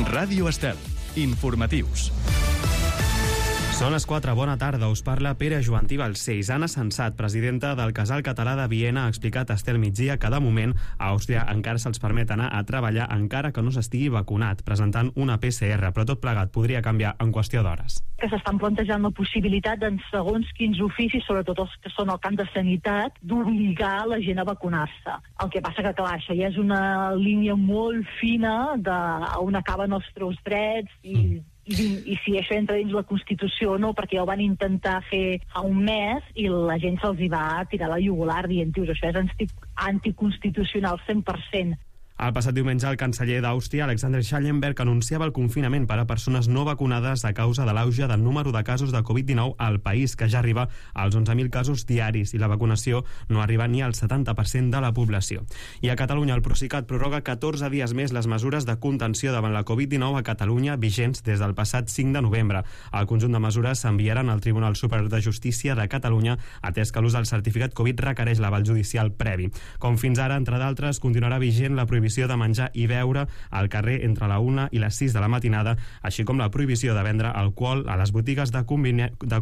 Ràdio Estel. Informatius. Són les 4, bona tarda, us parla Pere Joantí Balcells. Anna Sensat, presidenta del Casal Català de Viena, ha explicat a Estel Migdia que de moment a Àustria encara se'ls permet anar a treballar encara que no s'estigui vacunat, presentant una PCR, però tot plegat podria canviar en qüestió d'hores. Que s'estan plantejant la possibilitat en segons quins oficis, sobretot els que són al camp de sanitat, d'obligar la gent a vacunar-se. El que passa que, clar, això ja és una línia molt fina on acaben els teus drets i si això entra dins la Constitució o no, perquè ja ho van intentar fer fa un mes i la gent se'ls hi va tirar la jugular dient, això és anticonstitucional 100%. El passat diumenge, el canceller d'Àustria, Alexander Schallenberg, anunciava el confinament per a persones no vacunades a causa de l'auge del número de casos de Covid-19 al país, que ja arriba als 11.000 casos diaris, i la vacunació no arriba ni al 70% de la població. I a Catalunya, el Procicat prorroga 14 dies més les mesures de contenció davant la Covid-19 a Catalunya vigents des del passat 5 de novembre. El conjunt de mesures s'enviaran al Tribunal Superior de Justícia de Catalunya, atès que l'ús del certificat Covid requereix l'aval judicial previ. Com fins ara, entre d'altres, continuarà vigent la prohibició de menjar i beure al carrer entre la 1 i les 6 de la matinada, així com la prohibició de vendre alcohol a les botigues de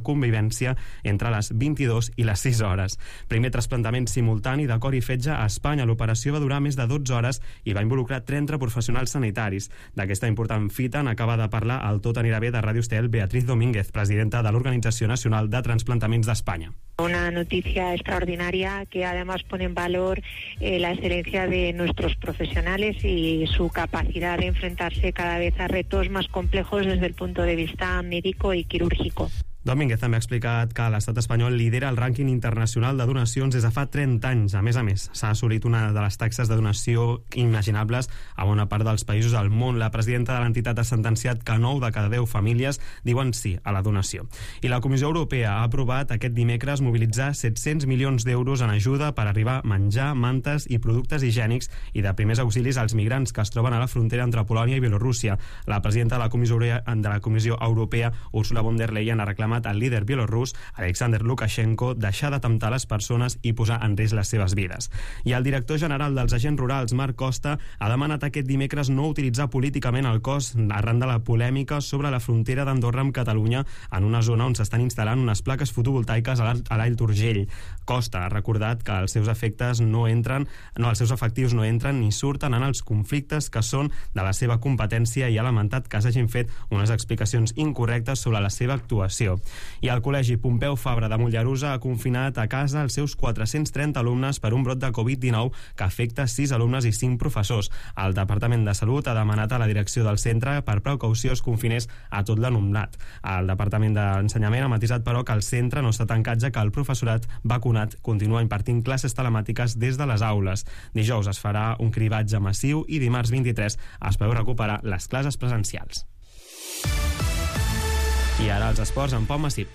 convivència entre les 22 i les 6 hores. Primer trasplantament simultani de cor i fetge a Espanya. L'operació va durar més de 12 hores i va involucrar 30 professionals sanitaris. D'aquesta important fita n'acaba de parlar el Tot anirà bé de Ràdio Estel, Beatriz Domínguez, presidenta de l'Organització Nacional de Transplantaments d'Espanya. Una noticia extraordinaria que además pone en valor la excelencia de nuestros profesionales y su capacidad de enfrentarse cada vez a retos más complejos desde el punto de vista médico y quirúrgico. Domínguez també ha explicat que l'estat espanyol lidera el rànquing internacional de donacions des de fa 30 anys. A més, s'ha assolit una de les taxes de donació imaginables a bona part dels països del món. La presidenta de l'entitat ha sentenciat que 9 de cada 10 famílies diuen sí a la donació. I la Comissió Europea ha aprovat aquest dimecres mobilitzar 700 milions d'euros en ajuda per arribar a menjar, mantes i productes higiènics i de primers auxilis als migrants que es troben a la frontera entre Polònia i Bielorússia. La presidenta de la Comissió Europea, Ursula von der Leyen, ha reclamat al líder bielorús, Alexander Lukashenko, deixar de temptar les persones i posar en risc les seves vides. I el director general dels agents rurals, Marc Costa, ha demanat aquest dimecres no utilitzar políticament el cos arran de la polèmica sobre la frontera d'Andorra amb Catalunya en una zona on s'estan instal·lant unes plaques fotovoltaiques a l'All d'Urgell. Costa ha recordat que els seus efectius no entren ni surten en els conflictes que són de la seva competència i ha lamentat que s'hagin fet unes explicacions incorrectes sobre la seva actuació. I el Col·legi Pompeu Fabra de Mollerussa ha confinat a casa els seus 430 alumnes per un brot de Covid-19 que afecta 6 alumnes i 5 professors. El Departament de Salut ha demanat a la direcció del centre per precaució es confinés a tot l'alumnat. El Departament d'Ensenyament ha matisat, però, que el centre no està tancat, ja que el professorat vacunat continua impartint classes telemàtiques des de les aules. Dijous es farà un cribatge massiu i dimarts 23 es preveu recuperar les classes presencials. I ara els esports amb Pau Massip.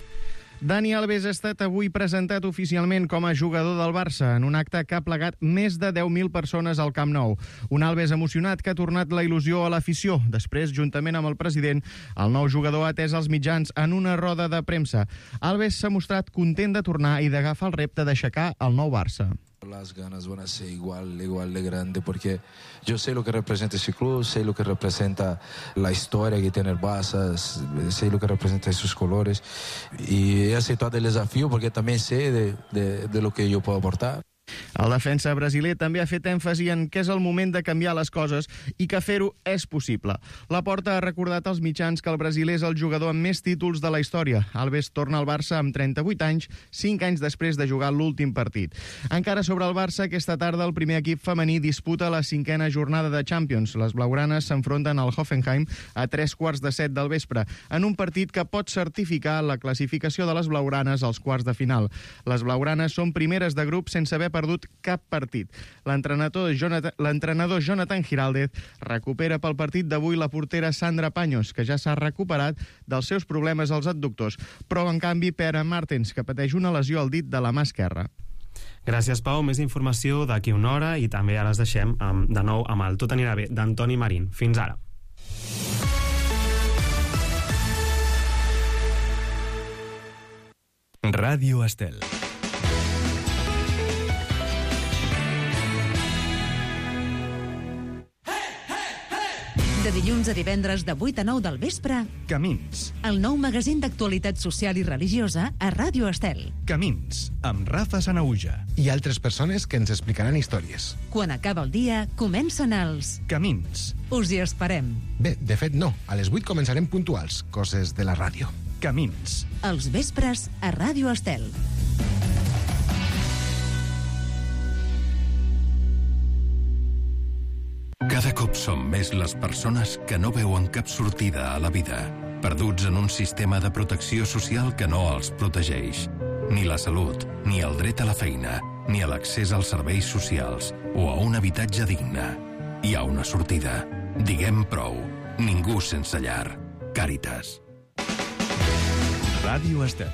Dani Alves ha estat avui presentat oficialment com a jugador del Barça en un acte que ha plegat més de 10.000 persones al Camp Nou. Un Alves emocionat que ha tornat la il·lusió a l'afició. Després, juntament amb el president, el nou jugador ha atès els mitjans en una roda de premsa. Alves s'ha mostrat content de tornar i d'agafar el repte d'aixecar el nou Barça. Las ganas van a ser igual de grande porque yo sé lo que representa ese club, sé lo que representa la historia que tiene el Barça, sé lo que representa sus colores y he aceptado el desafío porque también sé de lo que yo puedo aportar. El defensa brasiler també ha fet èmfasi en que és el moment de canviar les coses i que fer-ho és possible. Laporta ha recordat als mitjans que el brasiler és el jugador amb més títols de la història. Alves torna al Barça amb 38 anys, 5 anys després de jugar l'últim partit. Encara sobre el Barça, aquesta tarda el primer equip femení disputa la 5a jornada de Champions. Les blaugranes s'enfronten al Hoffenheim a 3:45 del vespre, en un partit que pot certificar la classificació de les blaugranes als quarts de final. Les blaugranes són primeres de grup sense haver perdut cap partit. L'entrenador Jonathan Giraldez recupera pel partit d'avui la portera Sandra Paños, que ja s'ha recuperat dels seus problemes als adductors, però en canvi Pere Martens, que pateix una lesió al dit de la mà esquerra. Gràcies, Pau. Més informació d'aquí una hora i també ara les deixem de nou amb el Tot anirà bé d'Antoni Marín. Fins ara. Ràdio Estel. De De dilluns a divendres de 8 a 9 del vespre, Camins. el nou magazín d'actualitat social i religiosa a Ràdio Estel. Camins, amb Rafa Sanauja. I altres persones que ens explicaran històries. Quan acaba el dia, comencen els... Camins. Us hi esperem. Bé, de fet no, a les 8 començarem puntuals, coses de la ràdio. Camins. Els vespres a Ràdio Estel. Cada cop som més les persones que no veuen cap sortida a la vida, perduts en un sistema de protecció social que no els protegeix. Ni la salut, ni el dret a la feina, ni a l'accés als serveis socials o a un habitatge digne. Hi ha una sortida. Diguem prou. Ningú sense llar. Càritas. Ràdio Estel.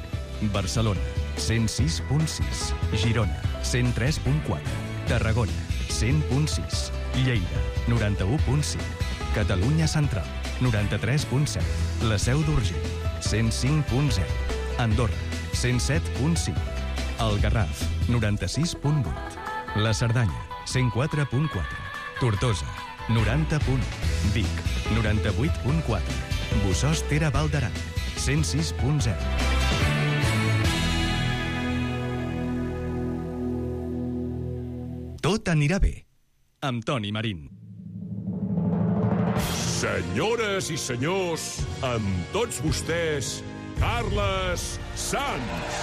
Barcelona, 106.6. Girona, 103.4. Tarragona, 100.6. Lleida, 91.5. Catalunya Central, 93.7. La Seu d'Urgell, 105.0. Andorra, 107.5. El Garraf, 96.8. La Cerdanya, 104.4. Tortosa, 90.1. Vic, 98.4. Bossòst Tere Val d'Aran, 106.0. Tot anirà bé. Amb Toni Marín. Senyores i senyors, amb tots vostès, Carles Sans.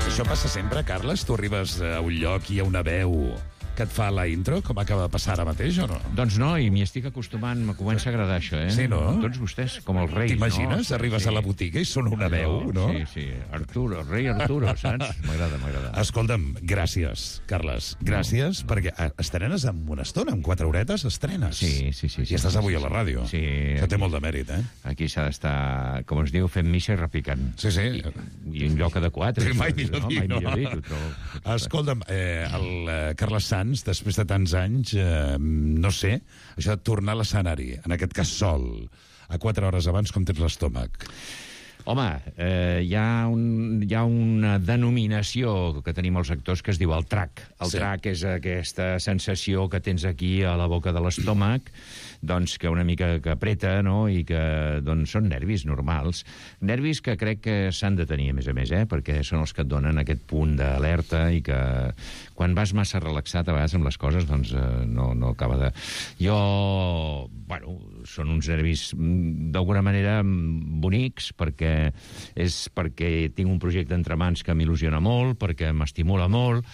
Això passa sempre, Carles? Tu arribes a un lloc i hi ha una veu que et fa la intro, com acaba de passar ara mateix, o no? Doncs no, i m'hi estic acostumant, me comença a agradar això, eh? Sí, no? Tots vostès, com els reis, t'imagines? no? Arribes a la botiga i sona una veu, no? Sí, sí, Arturo, rei Arturo, saps? M'agrada. Escolta'm, gràcies, Carles. Gràcies, perquè estrenes en una estona, en 4 horetes estrenes. Sí. I estàs avui a la ràdio. Sí. Això té molt de mèrit, eh? Aquí s'ha d'estar, com es diu, fent missa i repicant. Sí. I un lloc adequat. Mai millor dit, no? Escolta'm, el Carles Sans, després de tants anys, no sé, això de tornar a l'escenari, en aquest cas sol, a 4 hores abans, com tens l'estómac? Home, hi ha una denominació que tenim els actors que es diu el trac. El trac és aquesta sensació que tens aquí a la boca de l'estómac, doncs que una mica que apreta, no?, i que doncs, són nervis normals. Nervis que crec que s'han de tenir, a més, perquè són els que et donen aquest punt d'alerta i que quan vas massa relaxat a vegades amb les coses, doncs no acaba de... Són uns nervis d'alguna manera bonics, perquè tinc un projecte entre mans que m'il·lusiona molt, perquè m'estimula molt,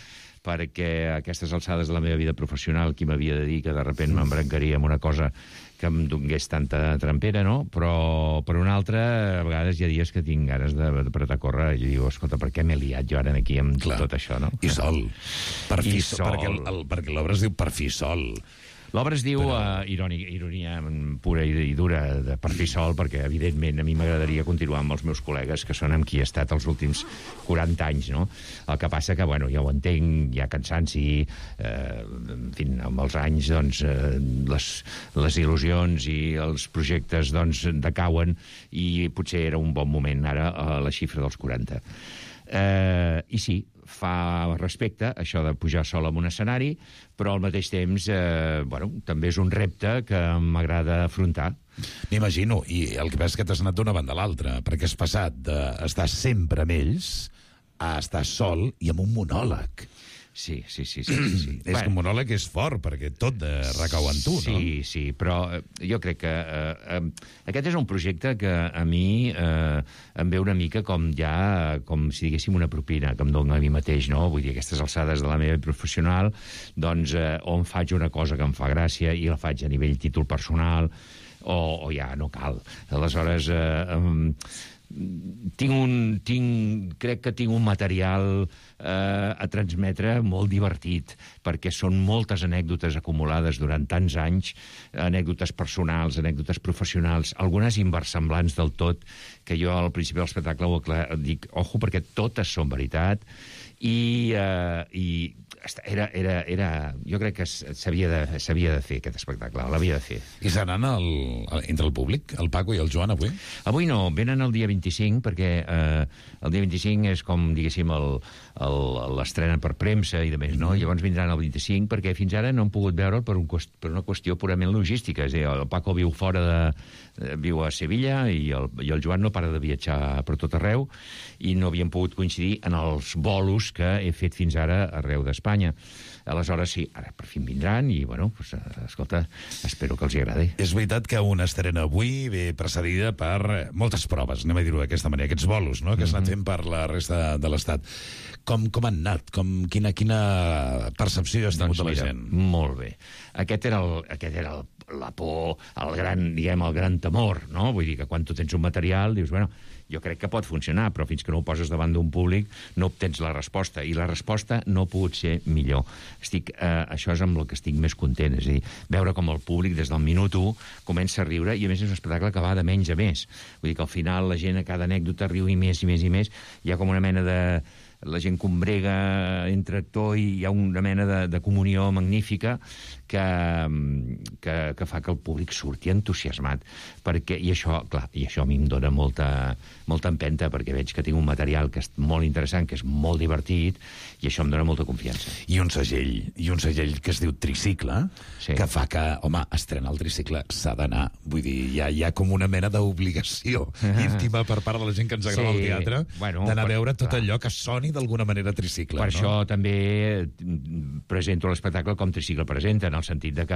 perquè a aquestes alçades de la meva vida professional qui m'havia de dir que de sobte m'embrancaria amb una cosa que em donés tanta trampera, no? Però per una altra, a vegades hi ha dies que tinc ganes d'apretar a córrer i dic, escolta, per què m'he liat jo ara aquí amb tot això, no? I sol. Perquè l'obra es diu Per fi sol. L'obra es diu ironia pura i dura de Per fi sol, perquè, evidentment, a mi m'agradaria continuar amb els meus col·legues, que són amb qui he estat els últims 40 anys, no? El que passa que, ja ho entenc, hi ha cansanci, en fi, amb els anys, doncs, les il·lusions i els projectes, doncs, decauen, i potser era un bon moment, ara, a la xifra dels 40. I sí, fa respecte això de pujar sol en un escenari, però al mateix temps també és un repte que m'agrada afrontar. M'imagino, i el que passa és que t'has anat d'una banda a l'altra, perquè has passat d'estar sempre amb ells a estar sol i amb un monòleg. Sí. És que un monòleg és fort, perquè tot recau en tu, no? Sí, però jo crec que aquest és un projecte que a mi em ve una mica com si diguéssim una propina que em dono a mi mateix, no? Vull dir, aquestes alçades de la meva professional, doncs, on faig una cosa que em fa gràcia i la faig a nivell títol personal, o ja no cal. Aleshores, crec que tinc un material a transmetre molt divertit, perquè són moltes anècdotes acumulades durant tants anys, anècdotes personals, anècdotes professionals, algunes inversemblants del tot, que jo al principi de l'espectacle dic, ojo, perquè totes són veritat, i jo crec que s'havia de fer aquest espectacle, l'havia de fer. I seran entre el públic, el Paco i el Joan, avui? Avui no, venen el dia 25, perquè el dia 25 és com, diguéssim, l'estrena per premsa i de més, no? Llavors vindran el 25, perquè fins ara no han pogut veure'l per una qüestió purament logística. És a dir, el Paco viu viu a Sevilla i el Joan no para de viatjar per tot arreu i no havien pogut coincidir en els bolos que he fet fins ara arreu d'Espanya. Aleshores, sí, ara per fi vindran i, bueno, pues, escolta, espero que els hi agradi. És veritat que una estrena avui ve precedida per moltes proves, anem a dir-ho d'aquesta manera, aquests bolos, no?, que s'han fent per la resta de l'Estat. Com han anat? Quina percepció has tingut de la gent? Molt bé. Aquest era la por, el gran temor, no? Vull dir que quan tu tens un material dius, bueno, jo crec que pot funcionar, però fins que no ho poses davant d'un públic no obtens la resposta, i la resposta no ha pogut ser millor. Això és amb el que estic més content, és a dir, veure com el públic des del minut 1 comença a riure, i a més és un espectacle que va de menys a més. Vull dir que al final la gent a cada anècdota riu i més i més i més, hi ha com una mena de... la gent combrega entre actor i hi ha una mena de comunió magnífica que fa que el públic surti entusiasmat. I això a mi em dona molta empenta, perquè veig que tinc un material que és molt interessant, que és molt divertit, i això em dona molta confiança. I un segell que es diu Tricicle, que fa que, home, estrenar el Tricicle s'ha d'anar. Vull dir, hi ha com una mena d'obligació íntima per part de la gent que ens agrada el teatre, d'anar a veure tot allò que soni d'alguna manera Tricicle. Per això també presento l'espectacle com Tricicle presenta, en el sentit de que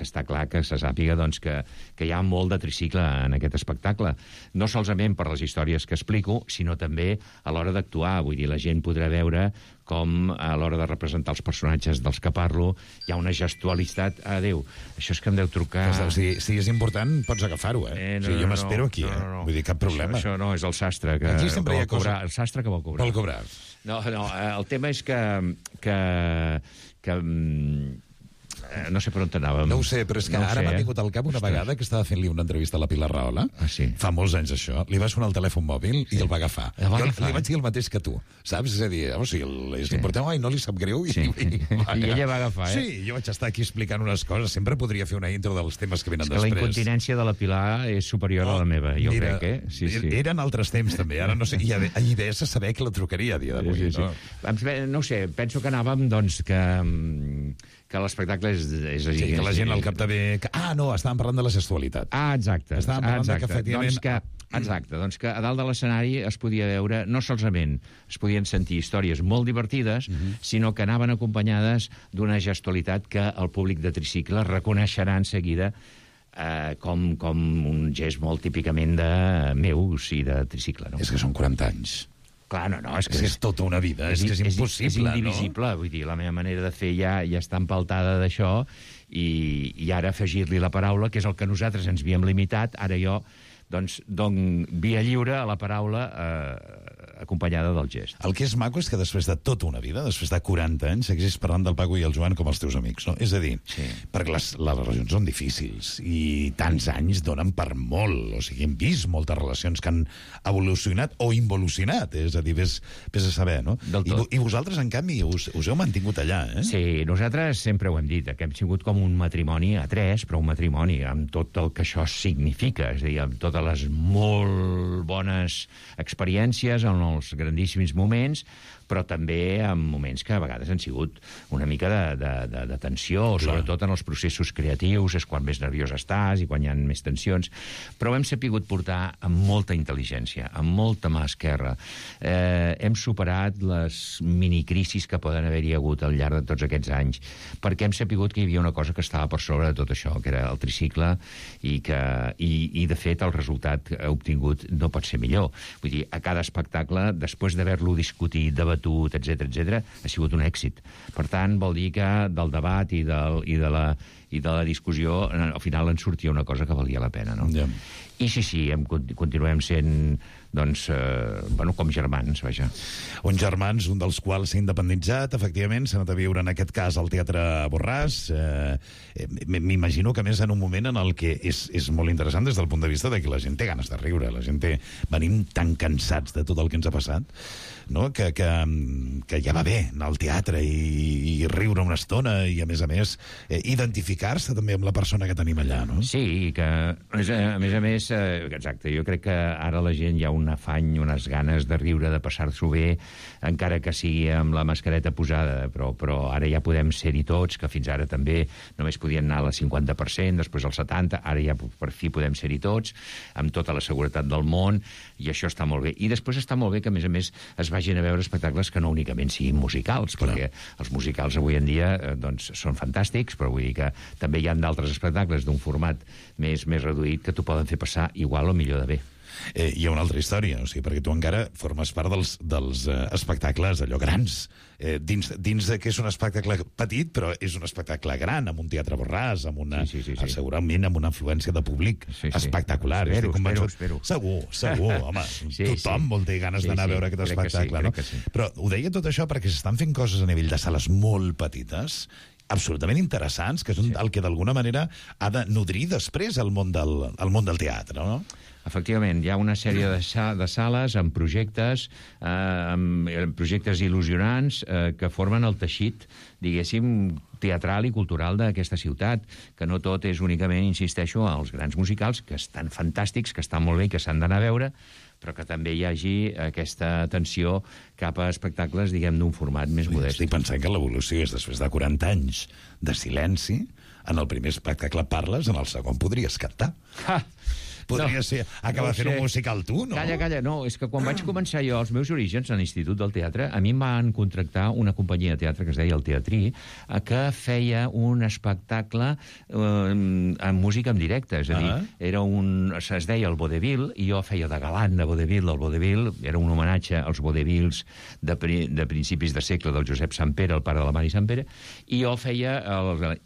està clar que se sàpiga que hi ha molt de tricicle en aquest espectacle. No solament per les històries que explico, sinó també a l'hora d'actuar. Vull dir, la gent podrà veure com a l'hora de representar els personatges dels que parlo hi ha una gestualitat. Adéu, això és que em deu trucar... Si és important, pots agafar-ho, jo m'espero aquí, vull dir, cap problema. Això no, és el sastre que vol cobrar. El sastre que vol cobrar. Vol cobrar. No, el tema és que no sé per on t'anàvem. No ho sé, però és que ara m'ha vingut al cap una vegada que estava fent-li una entrevista a la Pilar Rahola. Fa molts anys, això. Li va sonar el telèfon mòbil i el va agafar. Jo li vaig dir el mateix que tu, saps? És a dir, és important, no li sap greu. I ella va agafar, Sí, jo vaig estar aquí explicant unes coses. Sempre podria fer una intro dels temes que venen després. La incontinència de la Pilar és superior a la meva, jo crec, Eren altres temps, també. Ara no sé, i ahir de saber que la trucaria a dia d'avui. No sé, penso que anàvem, doncs, que l'espectacle és així. Sí, que la gent al capdavall... estàvem parlant de la gestualitat. Exacte. Estàvem parlant que, efectivament... Doncs que a dalt de l'escenari es podia veure, no solament es podien sentir històries molt divertides, sinó que anaven acompanyades d'una gestualitat que el públic de Tricicle reconeixerà en seguida com un gest molt típicament de meus i de Tricicle. És que són 40 anys. Clar, és que és tota una vida, és que és impossible, és indivisible, vull dir, la meva manera de fer ja està empaltada d'això, i ara afegir-li la paraula, que és el que nosaltres ens havíem limitat, ara jo dono via lliure a la paraula acompanyada del gest. El que és maco és que després de tota una vida, després de 40 anys, segueixis parlant del Paco i el Joan com els teus amics, no? És a dir, perquè les relacions són difícils i tants anys donen per molt, o sigui, hem vist moltes relacions que han evolucionat o involucionat, és a dir, vés a saber, no? I vosaltres, en canvi, us heu mantingut allà, Sí, nosaltres sempre ho hem dit, que hem sigut com un matrimoni a tres, però un matrimoni amb tot el que això significa, és a dir, amb totes les molt bones experiències, en els grandíssims moments, però també en moments que a vegades han sigut una mica de tensió, sobretot en els processos creatius, és quan més nerviós estàs i quan hi ha més tensions, però ho hem sapigut portar amb molta intel·ligència, amb molta mà esquerra. Hem superat les minicrisis que poden haver-hi hagut al llarg de tots aquests anys, perquè hem sapigut que hi havia una cosa que estava per sobre de tot això, que era el tricicle, i de fet el resultat obtingut no pot ser millor. Vull dir, a cada espectacle, després d'haver-lo discutit, debatut, etc., ha sigut un èxit. Per tant, vol dir que del debat i de i de la discussió, al final en sortia una cosa que valia la pena, no? Ja. I sí, continuem sent, doncs, com germans, vaja. Uns germans, un dels quals s'ha independitzat, efectivament, s'ha anat a viure, en aquest cas, al Teatre Borràs. M'imagino que, a més, en un moment en el que és molt interessant des del punt de vista de que la gent té ganes de riure, la gent venim tan cansats de tot el que ens ha passat, no? que ja va bé anar al teatre i riure una estona i, a més, identificar-se també amb la persona que tenim allà, no? Sí, que, a més, exacte, jo crec que ara la gent hi ha un afany, unes ganes de riure, de passar-s'ho bé, encara que sigui amb la mascareta posada, però ara ja podem ser-hi tots, que fins ara també només podien anar al 50%, després al 70%, ara ja per fi podem ser-hi tots, amb tota la seguretat del món, i això està molt bé. I després està molt bé que, a més, es vagin a veure espectacles que no únicament siguin musicals, perquè els musicals avui en dia doncs, són fantàstics, però vull dir que també hi ha d'altres espectacles d'un format més reduït que t'ho poden fer passar igual o millor de bé. Hi ha una altra història, o sigui, perquè tu encara formes part dels espectacles allò grans, dins de que és un espectacle petit, però és un espectacle gran, amb un teatre Borràs, amb una, segurament amb una afluència de públic espectacular. Espero. Segur, home. Tothom vol tenir ganes d'anar a veure aquest espectacle, no? Però ho deia tot això perquè s'estan fent coses a nivell de sales molt petites, absolutament interessants, que és el que d'alguna manera ha de nodrir després el món del teatre, no? Efectivament, hi ha una sèrie de sales amb projectes il·lusionants que formen el teixit, diguéssim, teatral i cultural d'aquesta ciutat, que no tot és únicament, insisteixo, als grans musicals, que estan fantàstics, que estan molt bé i que s'han d'anar a veure, però que també hi hagi aquesta atenció cap a espectacles, diguem, d'un format més modest. Estic pensant que l'evolució és després de 40 anys de silenci, en el primer espectacle parles, en el segon podries cantar. Podria ser acabar fent un musical tu, no? Calla, no, és que quan vaig començar jo els meus orígens a l'Institut del Teatre, a mi em van contractar una companyia de teatre que es deia el Teatrí, que feia un espectacle amb música en directe, és a dir, es deia el Vodevil, i jo feia de galant de Vodevil. El Vodevil era un homenatge als Vodevills de principis de segle del Josep Sampere, el pare de la Mari Sampere, i jo feia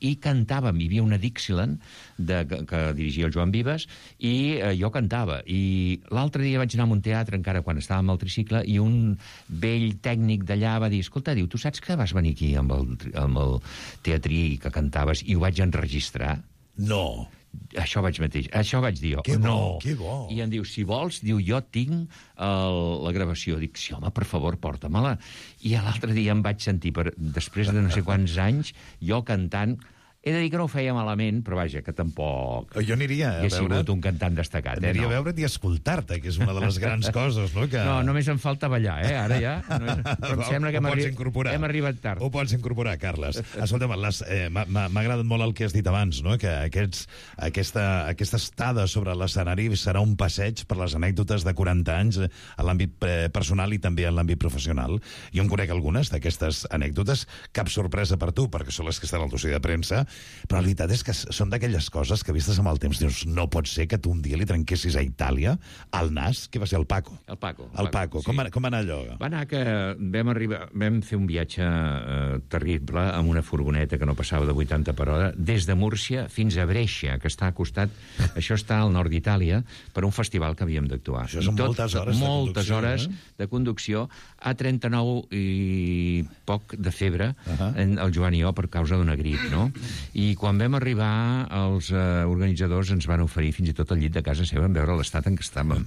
i cantàvem, hi havia una Dixieland que dirigia el Joan Vives, i jo cantava. I l'altre dia vaig anar a un teatre, encara quan estàvem al tricicle, i un vell tècnic d'allà va dir, escolta, diu, tu saps que vas venir aquí amb el teatrí que cantaves i ho vaig enregistrar? No. Això vaig dir jo. Que bo. I em diu, si vols, diu, jo tinc la gravació. Dic, sí, home, per favor, porta-me-la. I l'altre dia em vaig sentir, després de no sé quants anys, jo cantant. He de dir que no ho feia malament, però vaja, que tampoc... Jo aniria a veure... He sigut un cantant destacat, Aniria a veure't i escoltar-te, que és una de les grans coses, no? No, només em falta ballar, Ara ja. Però em sembla que hem arribat tard. Ho pots incorporar, Carles. Escolta'm, m'ha agradat molt el que has dit abans, no? Que aquesta estada sobre l'escenari serà un passeig per les anècdotes de 40 anys a l'àmbit personal i també en l'àmbit professional. Jo en conec algunes d'aquestes anècdotes. Cap sorpresa per tu, perquè són les que estan al dossier de premsa, però la veritat és que són d'aquelles coses que vistes amb el temps dius, no pot ser que tu un dia li trenquessis a Itàlia al nas, que va ser el Paco. El Paco. Sí. Com va anar allò? Va anar que vam fer un viatge terrible amb una furgoneta que no passava de 80 per hora, des de Múrcia fins a Brescia, que està a costat, això està al nord d'Itàlia, per un festival que havíem d'actuar. Això són moltes hores de conducció, a 39 i poc de febre, el Joan i jo, per causa d'una grip, no? I quan vam arribar, els organitzadors ens van oferir fins i tot el llit de casa seva en veure l'estat en què estàvem.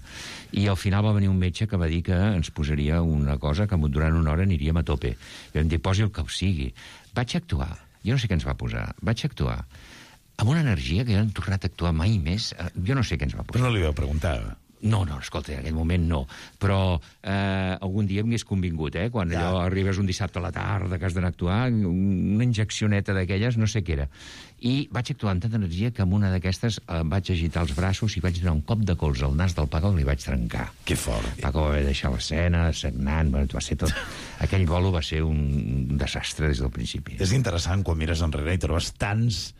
I al final va venir un metge que va dir que ens posaria una cosa que durant una hora aniríem a tope. I vam dir, posi el que sigui. Vaig actuar. Jo no sé què ens va posar. Vaig actuar amb una energia que jo no he tornat a actuar mai més. Jo no sé què ens va posar. Però no li vau preguntar? No, escolta, en aquell moment no. Però algun dia m'hi hagués convingut, quan allò arribes un dissabte a la tarda que has d'anar a actuar, una injeccioneta d'aquelles, no sé què era. I vaig actuar amb tanta energia que amb una d'aquestes vaig agitar els braços i vaig donar un cop de colze al nas del Paco i li vaig trencar. Que fort. Paco va haver de deixar l'escena, sagnant, va ser tot... Aquell bolo va ser un desastre des del principi. És interessant quan mires enrere i trobes tants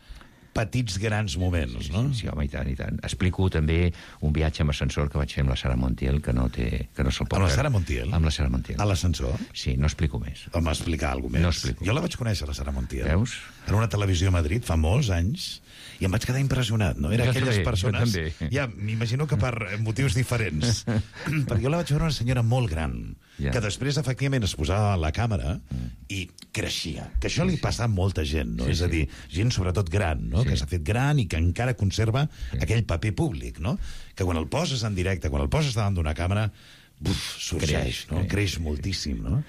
petits grans moments, no? Sí, home, i tant. Explico també un viatge amb ascensor que vaig fer amb la Sara Montiel, que no se'l pot... Amb la Sara Montiel? Amb la Sara Montiel. A l'ascensor? Sí, no explico més. Home, explicar alguna més. No explico. Jo la vaig conèixer, la Sara Montiel. Veus? en una televisió a Madrid fa molts anys, i em vaig quedar impressionat, no? Era aquelles persones... Ja, m'imagino que per motius diferents. Perquè jo la vaig veure una senyora molt gran, que després, efectivament, es posava a la càmera i creixia. Que això li passa a molta gent, no? És a dir, gent sobretot gran, no? Que s'ha fet gran i que encara conserva aquell paper públic, no? Que quan el poses en directe, quan el poses davant d'una càmera, sorgeix, no? Creix moltíssim, no?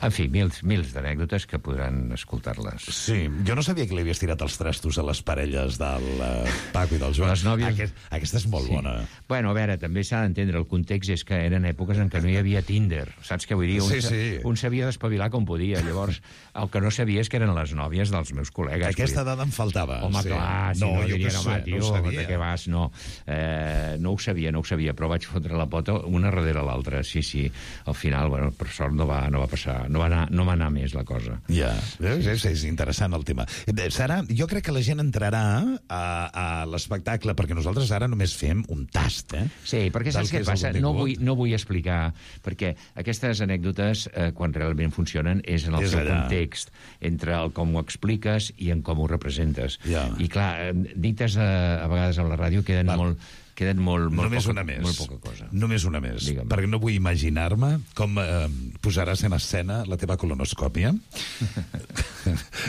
En fi, mils d'anècdotes que podran escoltar-les. Sí, jo no sabia que li havies tirat els trastos a les parelles del Paco i del Joan. Les nòvies... Aquesta és molt bona. Bueno, a veure, també s'ha d'entendre, el context és que eren èpoques en què no hi havia Tinder, saps què vull dir? Un s'havia d'espavilar com podia, llavors el que no sabia és que eren les nòvies dels meus col·legues. Aquesta dada em faltava. Home, clar, si no dirien, home, tio, de què vas? No ho sabia, però vaig fotre la pota una darrere l'altra. Sí, al final, bueno, per sort no va passar, no va anar més la cosa. Ja, és interessant el tema. Sara, jo crec que la gent entrarà a l'espectacle, perquè nosaltres ara només fem un tast, Sí, perquè saps què passa? No vull explicar, perquè aquestes anècdotes, quan realment funcionen, és en el seu context, entre el com ho expliques i en com ho representes. I clar, dites a vegades a la ràdio queden molt poca cosa. Només una més, perquè no vull imaginar-me com posaràs en escena la teva colonoscòpia.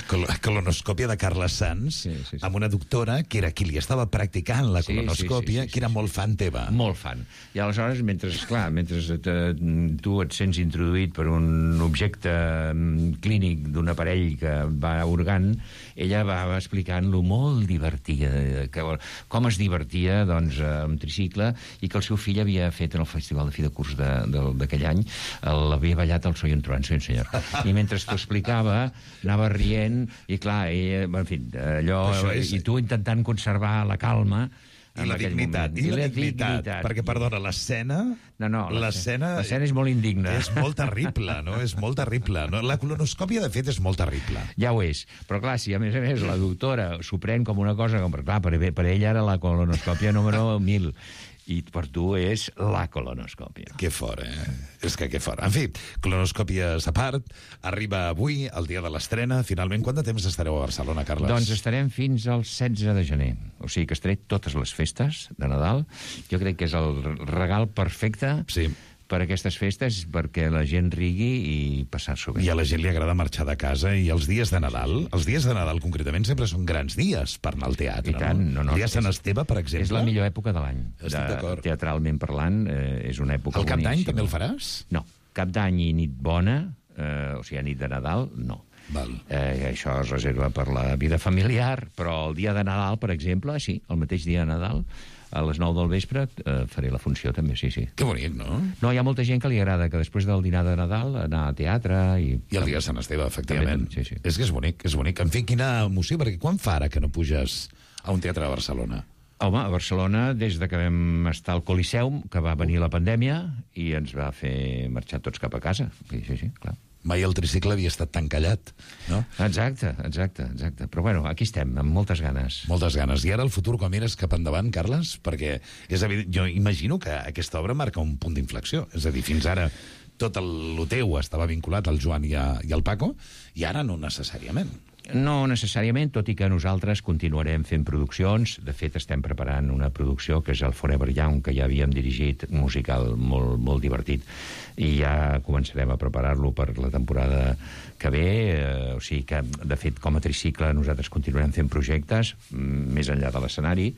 Colonoscòpia de Carles Sans, amb una doctora que era qui li estava practicant la colonoscòpia, que era molt fan teva. Molt fan. I aleshores, mentre tu et sents introduït per un objecte clínic d'un aparell que va organt, ella va explicant-lo molt divertida, com es divertia, doncs, amb tricicle, i que el seu fill havia fet en el festival de fi de curs d'aquell any, l'havia ballat al Soy un truán, sí, senyor. I mentre t'ho explicava, anava rient, i clar, en fi, allò... I tu intentant conservar la calma i la dignitat, perquè, perdona, l'escena... L'escena és molt indigna. És molt terrible, no? És molt terrible. La colonoscòpia, de fet, és molt terrible. Ja ho és. Però, clar, si a més la doctora s'ho pren com una cosa... Clar, per ella era la colonoscòpia número 1000. I per tu és la colonoscòpia. Que fort, És que fort. En fi, colonoscòpies a part, arriba avui, el dia de l'estrena. Finalment, quant de temps estareu a Barcelona, Carles? Doncs estarem fins al 16 de gener. O sigui que estaré totes les festes de Nadal. Jo crec que és el regal perfecte per aquestes festes, perquè la gent rigui i passar-s'ho bé. I a la gent li agrada marxar de casa, i els dies de Nadal concretament sempre són grans dies per anar al teatre. I tant, el dia de Sant Esteve, per exemple. És la millor època de l'any. Estic d'acord. Teatralment parlant, és una època boníssima. El Cap d'Any també el faràs? No, Cap d'Any i nit bona, o sigui, nit de Nadal, no. Això es reserva per la vida familiar, però el dia de Nadal, per exemple, sí, el mateix dia de Nadal, a les 9 del vespre faré la funció també, sí. Que bonic, no? No, hi ha molta gent que li agrada que després del dinar de Nadal anar a teatre i el dia de Sant Esteve, efectivament. Sí. És que és bonic. En fi, quina emoció, perquè quan fa ara que no puges a un teatre de Barcelona? Home, a Barcelona, des de que vam estar al Coliseum, que va venir la pandèmia i ens va fer marxar tots cap a casa. Sí, clar. Mai el tricicle havia estat tan callat, no? Exacte. Però bueno, aquí estem, amb moltes ganes. Moltes ganes. I ara el futur, com mires cap endavant, Carles? Perquè és evident, jo imagino que aquesta obra marca un punt d'inflexió. És a dir, fins ara tot el teu estava vinculat al Joan i al Paco, i ara no necessàriament. No necessàriament, tot i que nosaltres continuarem fent produccions. De fet, estem preparant una producció que és el Forever Young, que ja havíem dirigit, un musical molt, molt divertit, i ja començarem a preparar-lo per la temporada que ve. O sigui que, de fet, com a tricicle nosaltres continuarem fent projectes més enllà de l'escenari.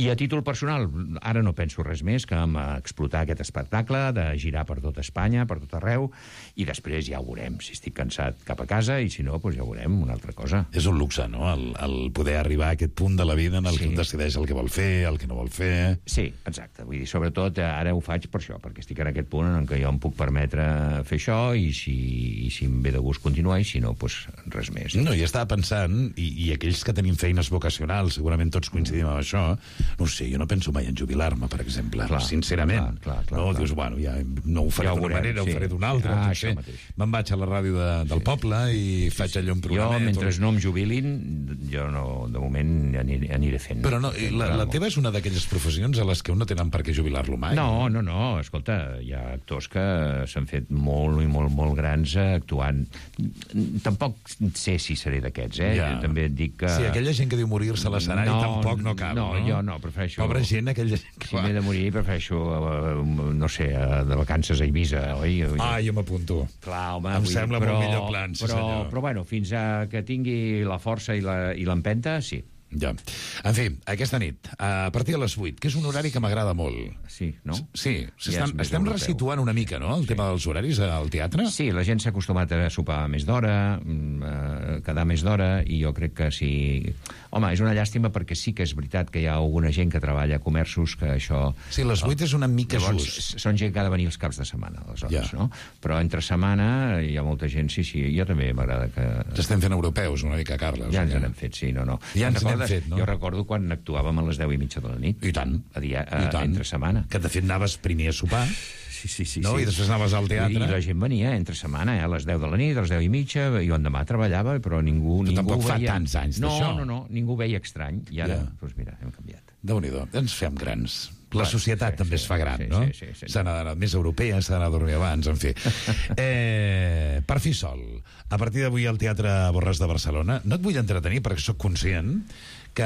I a títol personal, ara no penso res més que en explotar aquest espectacle, de girar per tot Espanya, per tot arreu, i després ja ho veurem, si estic cansat cap a casa, i si no, doncs ja ho veurem, una altra cosa. És un luxe, no?, el poder arribar a aquest punt de la vida en el que un decideix el que vol fer, el que no vol fer... Sí, exacte. Vull dir, sobretot ara ho faig per això, perquè estic en aquest punt en què jo em puc permetre fer això, i si em ve de gust continuar, i si no, doncs res més. No, i estava pensant, i aquells que tenim feines vocacionals, segurament tots coincidim amb això, no sé, jo no penso mai en jubilar-me, per exemple, sincerament. No, dius, bueno, ja no ho faré d'una manera, ho faré d'una altra, me'n vaig a la ràdio del poble i faig allò un programa... mentre no em jubilin, jo no, de moment aniré fent. Però no, la teva és una d'aquelles professions a les que un no tenen per què jubilar-lo mai? No, escolta, hi ha actors que s'han fet molt i molt grans actuant. Tampoc sé si seré d'aquests, Ja. Jo també et dic que... Sí, aquella gent que diu morir-se a l'escenari tampoc no cal, no? Jo no, prefereixo... Pobra gent, aquella gent que Si m'he de morir, prefereixo, no sé, de vacances a Eivissa, oi? Jo m'apunto. Clar, home... Em sembla molt millor plan, sí senyor. Però bueno, fins a que tingui la força i l'empenta, sí. Ja. En fi, aquesta nit, a partir de les 8, que és un horari que m'agrada molt. Sí, no? Sí, estem resituant una mica, no?, el tema dels horaris al teatre. Sí, la gent s'ha acostumat a sopar més d'hora, quedar més d'hora, i jo crec que sí... Home, és una llàstima perquè sí que és veritat que hi ha alguna gent que treballa a comerços que això... Sí, les 8 és una mica llavors, just. Són gent que ha de venir els caps de setmana, aleshores, no? Però entre setmana hi ha molta gent, sí, jo també m'agrada que... Estem fent europeus una mica, Carles. Ja ens n'hem fet, sí, no. Ja ens n'hem fet, no? Jo recordo quan actuàvem a les 10:30 de la nit. I tant. Entre setmana. Que de fet anaves primer a sopar. Sí. No? I després anaves al teatre. I la gent venia entre setmana, a les 10 de la nit, a les 10:30, jo endemà treballava, però ningú tampoc fa veia... tants anys d'això. No, ningú veia estrany, i ara, doncs mira, hem canviat. Déu-n'hi-do, ens fem grans. La societat també es fa gran, no? Sí. S'ha d'anar més europea, s'ha d'anar a dormir abans, en fi. Per fi sol, a partir d'avui al Teatre Borràs de Barcelona, no et vull entretenir perquè sóc conscient que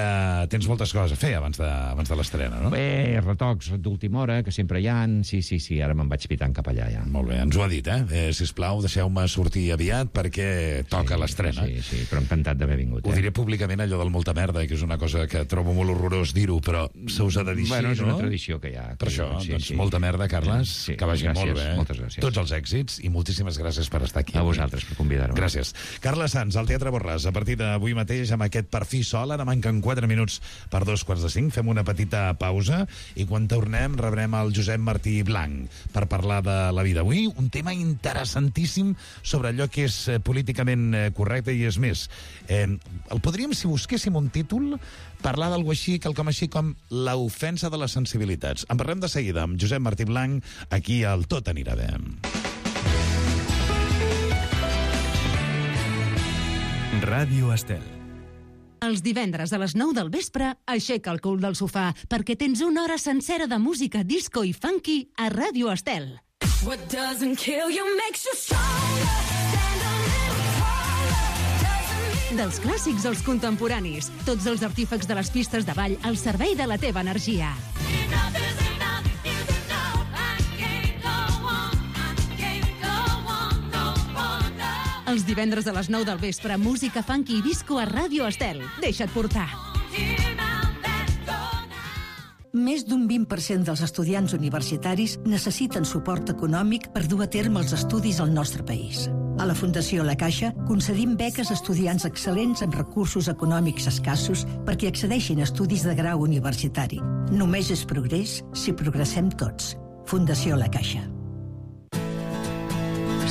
tens moltes coses a fer abans de l'estrena, no? Bé, retocs d'última hora, que sempre hi ha. Sí, ara me'n vaig pitant cap allà, ja. Molt bé, ens ho ha dit, sisplau, deixeu-me sortir aviat perquè toca l'estrena. Sí, però encantat d'haver vingut. Ho diré públicament, allò del molta merda, que és una cosa que trobo molt horrorós dir-ho, però se us ha de dir bueno, així, és no? una tradició que hi ha. Per això, doncs molta merda, Carles, que vagi molt bé. Moltes gràcies. Tots els èxits i moltíssimes gràcies per estar aquí. A vosaltres, per convidar-me. Gràcies. Carles Sans, al Teatre Borràs, a partir d'avui mateix, amb aquest Per fi sol. Ara manquen 4 minuts per 2:45. Fem una petita pausa i quan tornem rebrem el Josep Martí Blanc per parlar de la vida. Avui un tema interessantíssim sobre allò que és políticament correcte i és més. El podríem, si busquéssim un títol, parlar d'algú així, quelcom així com l'ofensa de les sensibilitats. En parlem de seguida amb Josep Martí Blanc aquí al Tot anirà bé. Ràdio Estel. Els divendres a les 9 del vespre, aixeca el cul del sofà, perquè tens una hora sencera de música disco i funky a Ràdio Estel. What doesn't kill you makes you stronger. Stand a little taller. Dels clàssics als contemporanis, tots els artífecs de les pistes de ball al servei de la teva energia. Enough is enough is enough. I can't go on, no wonder. Els divendres a les 9 del vespre, música funky i disco a Ràdio Estel. Deixa't portar. Més d'un 20% dels estudiants universitaris necessiten suport econòmic per dur a terme els estudis al nostre país. A la Fundació La Caixa concedim beques a estudiants excel·lents amb recursos econòmics escassos perquè accedeixin a estudis de grau universitari. Només és progrés si progressem tots. Fundació La Caixa.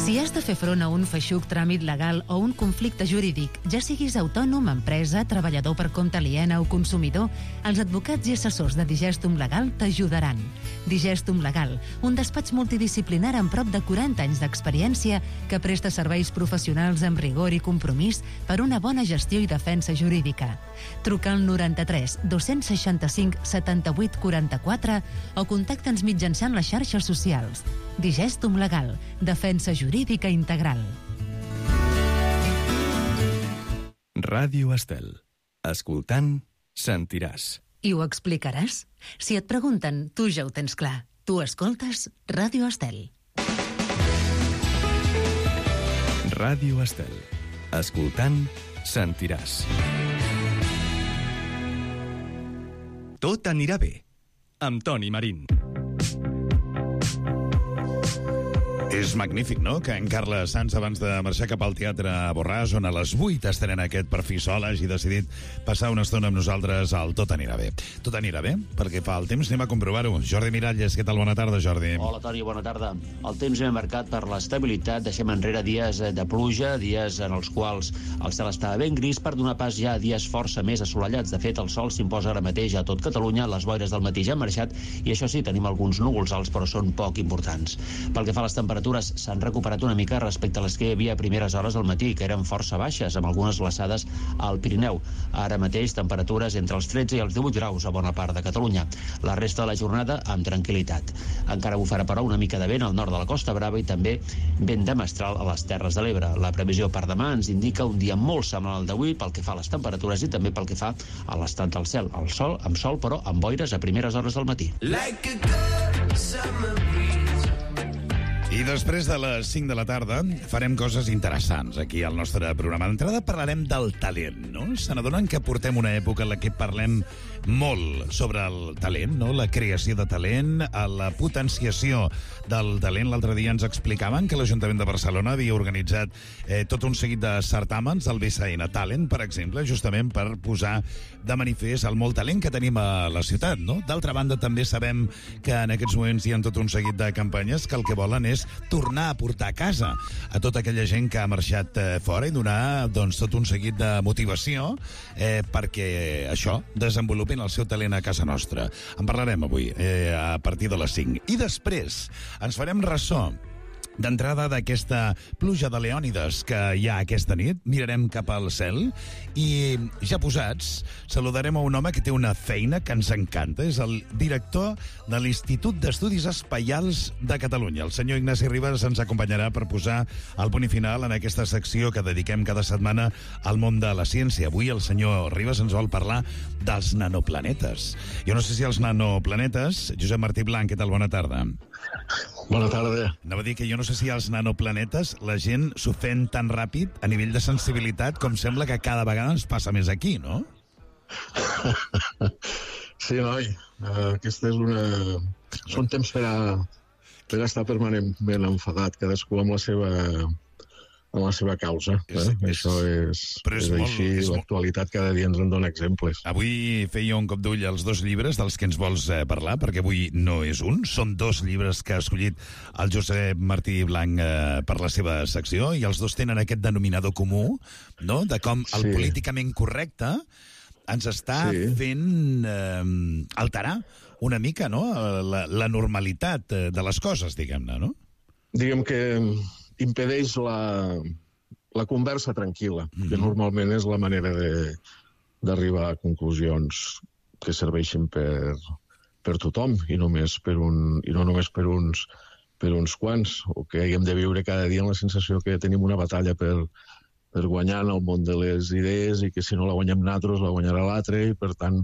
Si has de fer front a un feixuc tràmit legal o un conflicte jurídic, ja siguis autònom, empresa, treballador per compte aliena o consumidor, els advocats i assessors de Digestum Legal t'ajudaran. Digestum Legal, un despatx multidisciplinar amb prop de 40 anys d'experiència que presta serveis professionals amb rigor i compromís per una bona gestió i defensa jurídica. Truca al 93 265 78 44 o contacta'ns mitjançant les xarxes socials. Digestum Legal, defensa jurídica integral. Ràdio Estel. Escoltant, sentiràs. I ho explicaràs? Si et pregunten, tu ja ho tens clar. Tu escoltes Ràdio Estel. Ràdio Estel. Escoltant, sentiràs. Tot anirà bé. Amb Toni Marín. És magnífic, no?, que en Carles Sans, abans de marxar cap al Teatre Borràs, on a les 8 estrena aquest Per fi sol, hagi decidit passar una estona amb nosaltres al Tot anirà bé. Tot anirà bé? Perquè fa el temps anem a comprovar-ho. Jordi Miralles, què tal? Bona tarda, Jordi. Hola, Toni, bona tarda. El temps ben marcat per l'estabilitat. Deixem enrere dies de pluja, dies en els quals el cel estava ben gris, per donar pas ja a dies força més assolellats. De fet, el sol s'imposa ara mateix a tot Catalunya, les boires del matí ja han marxat, i això sí, tenim alguns núvols alts, però són poc importants. Pel que fa a les temperatures, temperatures s'han recuperat una mica respecte a les que hi havia a primeres hores del matí, que eren força baixes, amb algunes glaçades al Pirineu. Ara mateix, temperatures entre els 13 i els 18 graus a bona part de Catalunya. La resta de la jornada amb tranquil·litat. Encara bufarà, però, una mica de vent al nord de la Costa Brava i també vent de mestral a les Terres de l'Ebre. La previsió per demà ens indica un dia molt semblant al d'avui pel que fa a les temperatures i també pel que fa a l'estat del cel. El sol, amb sol, però amb boires a primeres hores del matí. I després de les 5 de la tarda farem coses interessants aquí al nostre programa. D'entrada parlarem del talent, no? Se n'adonen que portem una època en la que parlem molt sobre el talent, no? La creació de talent, la potenciació del talent. L'altre dia ens explicaven que l'Ajuntament de Barcelona havia organitzat tot un seguit de certàmens, el BCN Talent, per exemple, justament per posar de manifest el molt talent que tenim a la ciutat, no? D'altra banda, també sabem que en aquests moments hi ha tot un seguit de campanyes que el que volen és tornar a portar a casa a tota aquella gent que ha marxat fora i donar, doncs, tot un seguit de motivació perquè això, desenvolupin el seu talent a casa nostra. En parlarem avui a partir de les 5. I després ens farem ressò d'entrada d'aquesta pluja de leònides que hi ha aquesta nit. Mirarem cap al cel i, ja posats, saludarem a un home que té una feina que ens encanta. És el director de l'Institut d'Estudis Espaials de Catalunya. El senyor Ignasi Ribas ens acompanyarà per posar el punt i final en aquesta secció que dediquem cada setmana al món de la ciència. Avui el senyor Ribas ens vol parlar dels nanoplanetes. Jo no sé si els nanoplanetes... Josep Martí Blanc, què tal? Bona tarda. Bona tarda. Anava a dir que jo no sé si als nanoplanetes la gent s'ofèn tan ràpid a nivell de sensibilitat com sembla que cada vegada ens passa més aquí, no? Sí, noi. Aquesta és una... Són temps per estar permanentment enfadat, cadascú amb la seva causa. Això és així, l'actualitat cada dia ens en dona exemples. Avui feia un cop d'ull als 2 llibres dels que ens vols parlar, perquè avui no és un, són 2 llibres que ha escollit el Josep Martí Blanc per la seva secció, i els 2 tenen aquest denominador comú, no?, de com el políticament correcte ens està fent alterar una mica, no?, la normalitat de les coses, diguem-ne, no? Diguem que impedeix la conversa tranquil·la, que normalment és la manera d'arribar a conclusions que serveixin per tothom i no només per uns quants, o que haguem de viure cada dia amb la sensació que tenim una batalla per guanyar en el món de les idees i que si no la guanyem nosaltres la guanyarà l'altre i per tant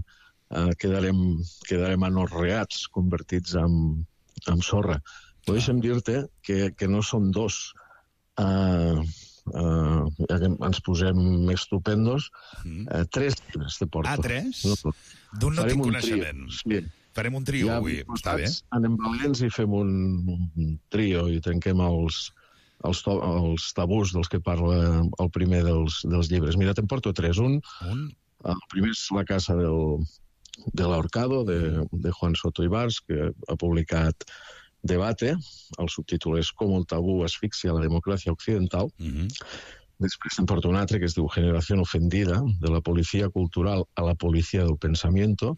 quedarem anorreats, convertits en sorra. Però deixa'm dir-te que no són 2. Ens posem estupendos. 3 llibres te porto. 3? D'un no tinc coneixement. Farem un trio avui, està bé? Anem valents i fem un trio i trenquem els tabús dels que parla el primer dels llibres. Mira, te'n porto 3. El primer és La casa de l'Ahorcado, de Juan Soto Ibars, que ha publicat Debate. El subtítol és Com el tabú asfixia la democràcia occidental. Després te'n porto un altre que es diu Generación ofendida, de la policía cultural a la policía del pensamiento,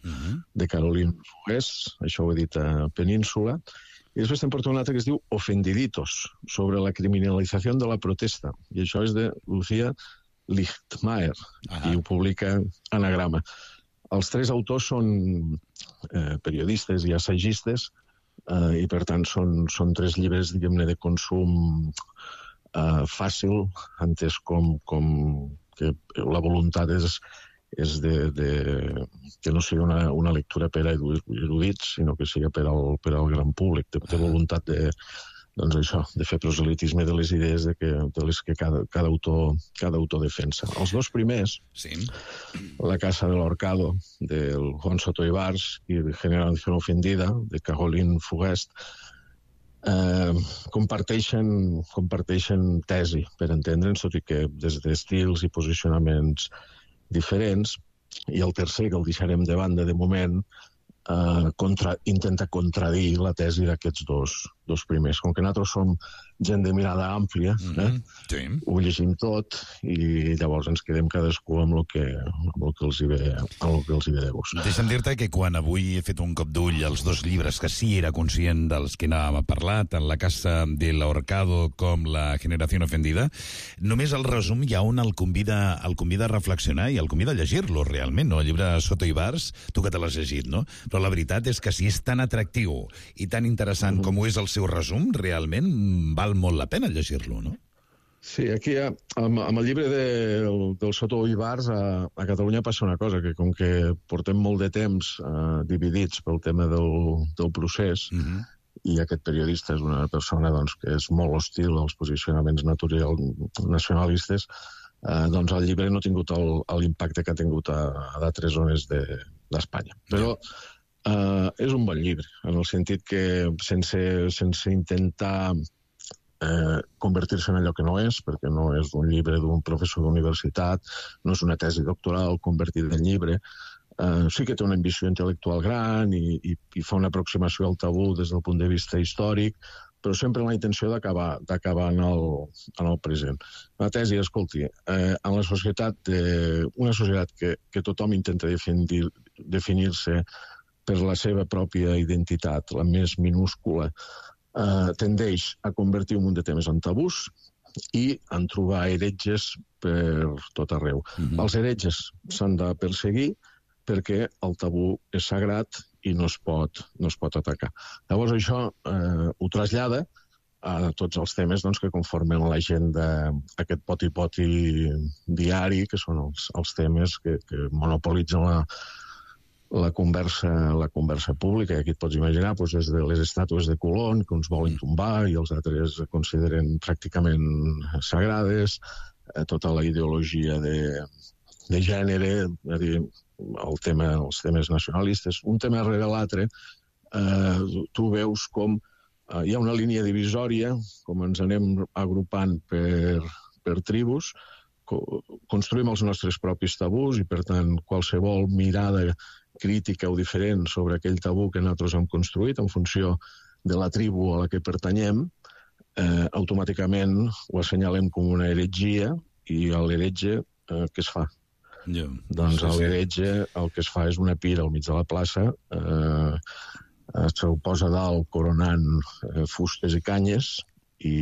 de Caroline Fogués, això ho he dit a Península. I després te'n porto un altre que es diu Ofendiditos, sobre la criminalització de la protesta. I això és de Lucía Lichtmaer, i ho publica Anagrama. Els 3 autors són periodistes i assagistes, i per tant són 3 llibres, diguem-ne, de consum fàcil, entès com que la voluntat és que no sigui una lectura per a erudits, sinó que sigui per al gran públic. Té voluntat de fer proselitisme de les idees de les que cada autor defensa. Els 2 primers, La casa de l'Ahorcado, del Juan Soto Ibars, i Generación ofendida, de Caroline Fogués, comparteixen tesi, per entendre'ns, tot i que des d'estils i posicionaments diferents. I el tercer, que el deixarem de banda de moment, intenta contradir la tesi d'aquests 2 dos primers. Com que nosaltres som gent de mirada àmplia, ho llegim tot i llavors ens quedem cadascú amb el que els hi ve de gust. Deixa'm dir-te que quan avui he fet un cop d'ull als dos llibres que sí era conscient dels que anàvem a parlar, tant La Casa del Ahorcado com La Generación Ofendida, només el resum hi ha on el convida a reflexionar i el convida a llegir-lo realment, no? El llibre Soto i Bars, tu que te l'has llegit, no? Però la veritat és que si és tan atractiu i tan interessant com ho és el seu resum, realment val molt la pena llegir-lo, no? Sí, aquí amb el llibre del Soto i Bars a Catalunya passa una cosa, que com que portem molt de temps dividits pel tema del procés, i aquest periodista és una persona que és molt hostil als posicionaments nacionalistes, doncs el llibre no ha tingut l'impacte que ha tingut a d'altres zones d'Espanya. Però és un bon llibre, en el sentit que sense intentar convertir-se en allò que no és, perquè no és un llibre d'un professor d'universitat, no és una tesi doctoral convertida en llibre, sí que té una ambició intel·lectual gran i fa una aproximació al tabú des del punt de vista històric, però sempre amb la intenció d'acabar en el present. La tesi, escolti, en la societat, una societat que tothom intenta definir-se per la seva pròpia identitat, la més minúscula, tendeix a convertir un munt de temes en tabús i en trobar heretges per tot arreu. Els heretges s'han de perseguir perquè el tabú és sagrat i no es pot atacar. Llavors això ho trasllada a tots els temes que conformen l'agenda, aquest poti-poti diari, que són els temes que monopolitzen la conversa pública, i aquí et pots imaginar des de les estàtues de Colón, que uns volen tombar i els altres consideren pràcticament sagrades, tota la ideologia de gènere, els temes nacionalistes, un tema rere l'altre, tu veus com hi ha una línia divisòria, com ens anem agrupant per tribus, construïm els nostres propis tabús i, per tant, qualsevol mirada crítica o diferent sobre aquell tabú que nosaltres hem construït en funció de la tribu a la que pertanyem, automàticament ho assenyalem com una heretgia i l'heretge què es fa? Doncs l'heretge el que es fa és una pira al mig de la plaça, se'l posa dalt coronant fustes i canyes i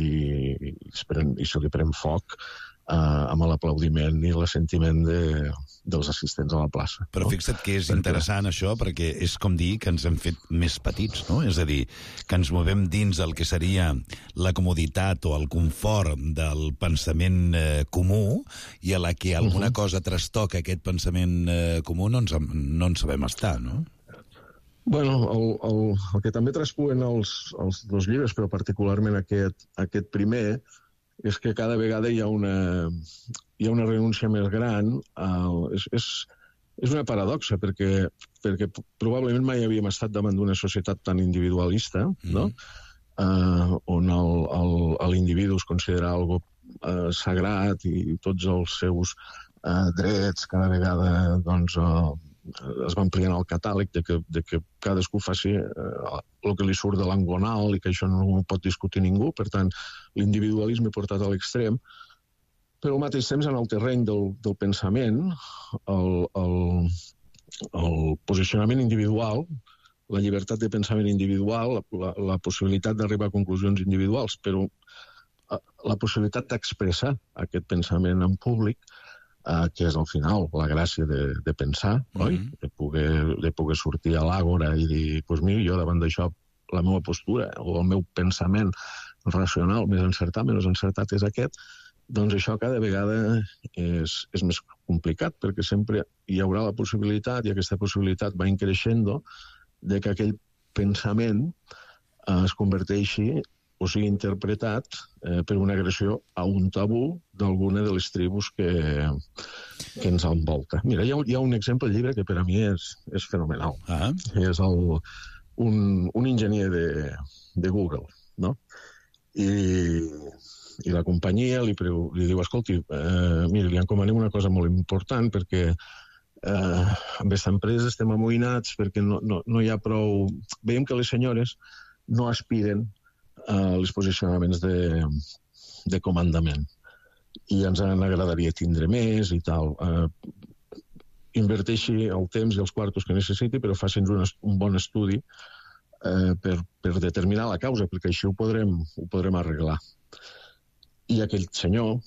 se li pren foc amb l'aplaudiment i l'assentiment dels assistents a la plaça. Però fixa't que és interessant això, perquè és com dir que ens hem fet més petits, no? És a dir, que ens movem dins el que seria la comoditat o el confort del pensament comú, i a la que alguna cosa trastoca aquest pensament comú no en sabem estar, no? Bueno, el que també traspuen els dos llibres, però particularment aquest primer, és que cada vegada hi ha una renúncia més gran. És una paradoxa, perquè probablement mai havíem estat davant d'una societat tan individualista, no? On l'individu es considera algo sagrat i tots els seus drets cada vegada es va ampliant el catàleg de que cadascú faci el que li surt de l'angonal i que això no ho pot discutir ningú. Per tant, l'individualisme portat a l'extrem, però al mateix temps en el terreny del pensament, el posicionament individual, la llibertat de pensament individual, la possibilitat d'arribar a conclusions individuals, però la possibilitat d'expressar aquest pensament en públic, que és al final la gràcia de pensar, oi? De poder sortir a l'àgora i dir, doncs mira, jo davant d'això la meva postura o el meu pensament racional més encertat, menys encertat és aquest, doncs això cada vegada és més complicat, perquè sempre hi haurà la possibilitat, i aquesta possibilitat va increixent, de que aquell pensament es converteixi o sigui interpretat per una agressió a un tabú d'alguna de les tribus que ens envolta. Mira, hi ha un exemple al llibre que per a mi és fenomenal. És un enginyer de Google, no? I la companyia li diu, escolti, mira, li encomanem una cosa molt important perquè amb aquesta empresa estem amoïnats perquè no hi ha prou... Veiem que les senyores no aspiren els posicionaments de comandament. I ens agradaria tindre més i tal. Inverteixi el temps i els quartos que necessiti, però faci'ns un bon estudi per determinar la causa, perquè així ho podrem arreglar. I aquell senyor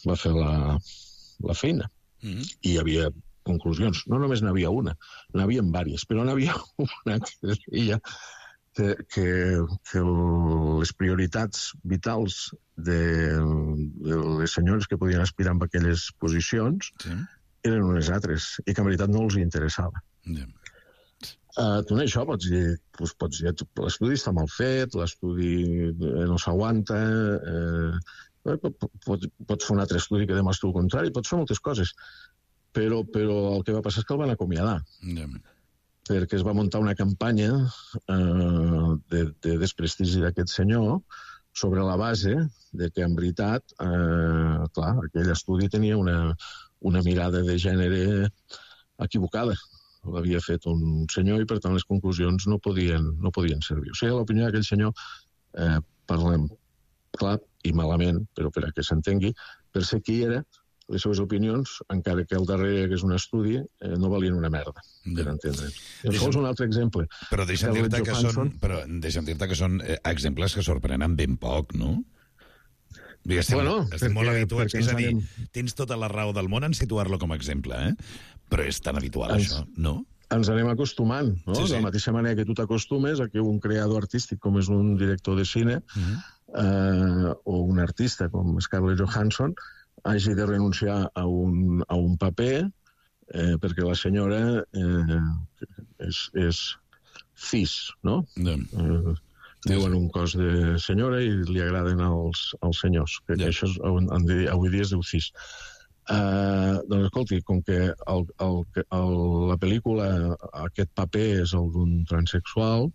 va fer la feina. I hi havia conclusions. No només n'havia una, n'havia diverses, però n'havia una que deia que les prioritats vitals de les senyores que podien aspirar a aquelles posicions eren unes altres, i que en veritat no els interessava. Tu en això pots dir l'estudi està mal fet, l'estudi no s'aguanta, pots fer un altre estudi que demostri el contrari, pots fer moltes coses, però el que va passar és que el van acomiadar. Perquè es va muntar una campanya de desprestigi d'aquest senyor sobre la base de que, en veritat, clar, aquell estudi tenia una mirada de gènere equivocada. L'havia fet un senyor i, per tant, les conclusions no podien servir. O sigui, l'opinió d'aquell senyor, parlem clar i malament, però per a que s'entengui, per ser qui era, les seves opinions, encara que al darrere que és un estudi, no valien una merda, per entendre. Això és un altre exemple. Però deixa'm dir-te que són exemples que sorprenen ben poc, no? Estem molt habituats. És a dir, tens tota la raó del món en situar-lo com a exemple, però és tan habitual això, no? Ens anem acostumant, no? De la mateixa manera que tu t'acostumes a que un creador artístic com és un director de cine o un artista com Scarlett Johansson hagi de renunciar a un paper perquè la senyora és cis, no? Viu en un cos de senyora i li agraden els senyors, que això avui dia es diu cis. Doncs escolti, com que la pel·lícula, aquest paper és el d'un transsexual,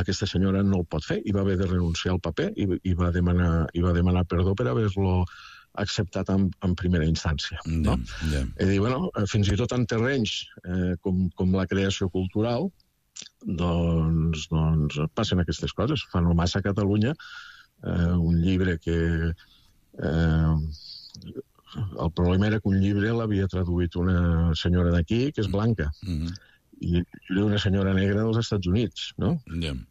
aquesta senyora no el pot fer i va haver de renunciar al paper i va demanar perdó per haver-lo acceptat en primera instància. I dir, bueno, fins i tot en terrenys com la creació cultural, doncs passen aquestes coses. Fa no massa a Catalunya un llibre que... El problema era que un llibre l'havia traduït una senyora d'aquí, que és blanca, i era una senyora negra dels Estats Units, no?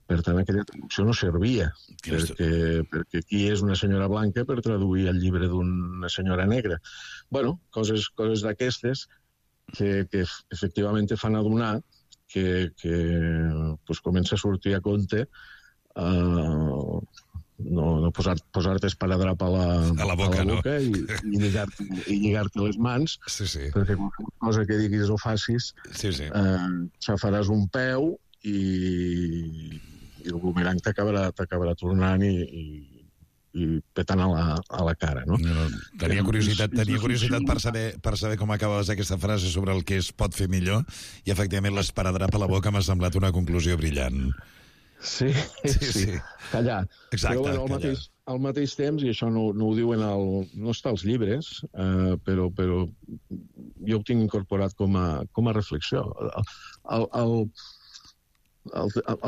Per tant, aquella traducció no servia, perquè qui és una senyora blanca per traduir el llibre d'una senyora negra? Bueno, coses d'aquestes que efectivament te fan adonar que comença a sortir a compte no posar-te esparadrap a la boca i lligar-te les mans, perquè qualsevol cosa que diguis o facis xafaràs un peu i el bumerang t'acabarà tornant i petant a la cara, no? Tenia curiositat per saber com acabaves aquesta frase sobre el que es pot fer millor, i efectivament l'esparadrap a la boca m'ha semblat una conclusió brillant. Sí. Callar. Exacte, però bueno, al mateix temps, i això no ho diuen no està als llibres, però jo ho tinc incorporat com a reflexió. Al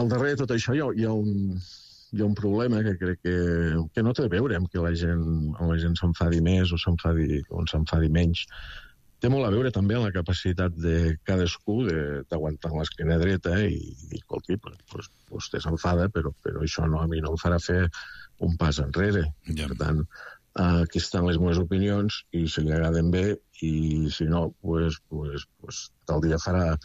darrere de tot això hi ha un problema que crec que no té a veure amb que la gent s'enfadi més o s'enfadi menys. Té molt a veure també amb la capacitat de cadascú d'aguantar l'esquena dreta i escolti, vostè s'enfada, però això a mi no em farà fer un pas enrere. Per tant, aquí estan les meves opinions i si li agraden bé i si no, tal dia farà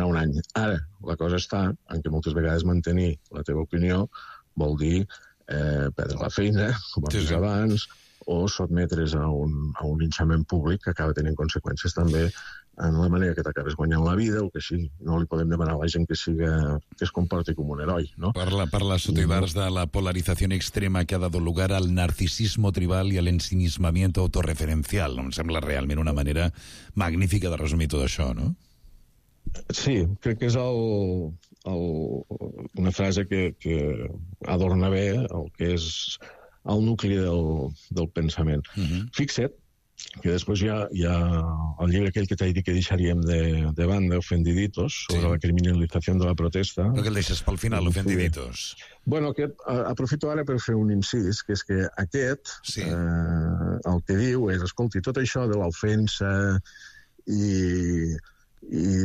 un any. Ara, la cosa està en que moltes vegades mantenir la teva opinió vol dir perdre la feina, com hem vist abans, o sotmetre's a un linxament públic que acaba tenint conseqüències també en la manera que t'acabes guanyant la vida o que sí, no li podem demanar a la gent que es comporti com un heroi, ¿no? Parla Sotibars de la polarización extrema que ha dado lugar al narcisismo tribal y al ensimismamiento autorreferencial. Em sembla realment una manera magnífica de resumir tot això, no? Sí, crec que és una frase que adorna bé el que és el nucli del pensament. Fixa't que després hi ha el llibre aquell que t'he dit que deixaríem de banda, Ofendiditos, sobre la criminalització de la protesta. Però que el deixes pel final, Ofendiditos. Bueno, aquest, aprofito ara per fer un incís, que és que aquest, el que diu és, escolti, tot això de l'ofensa i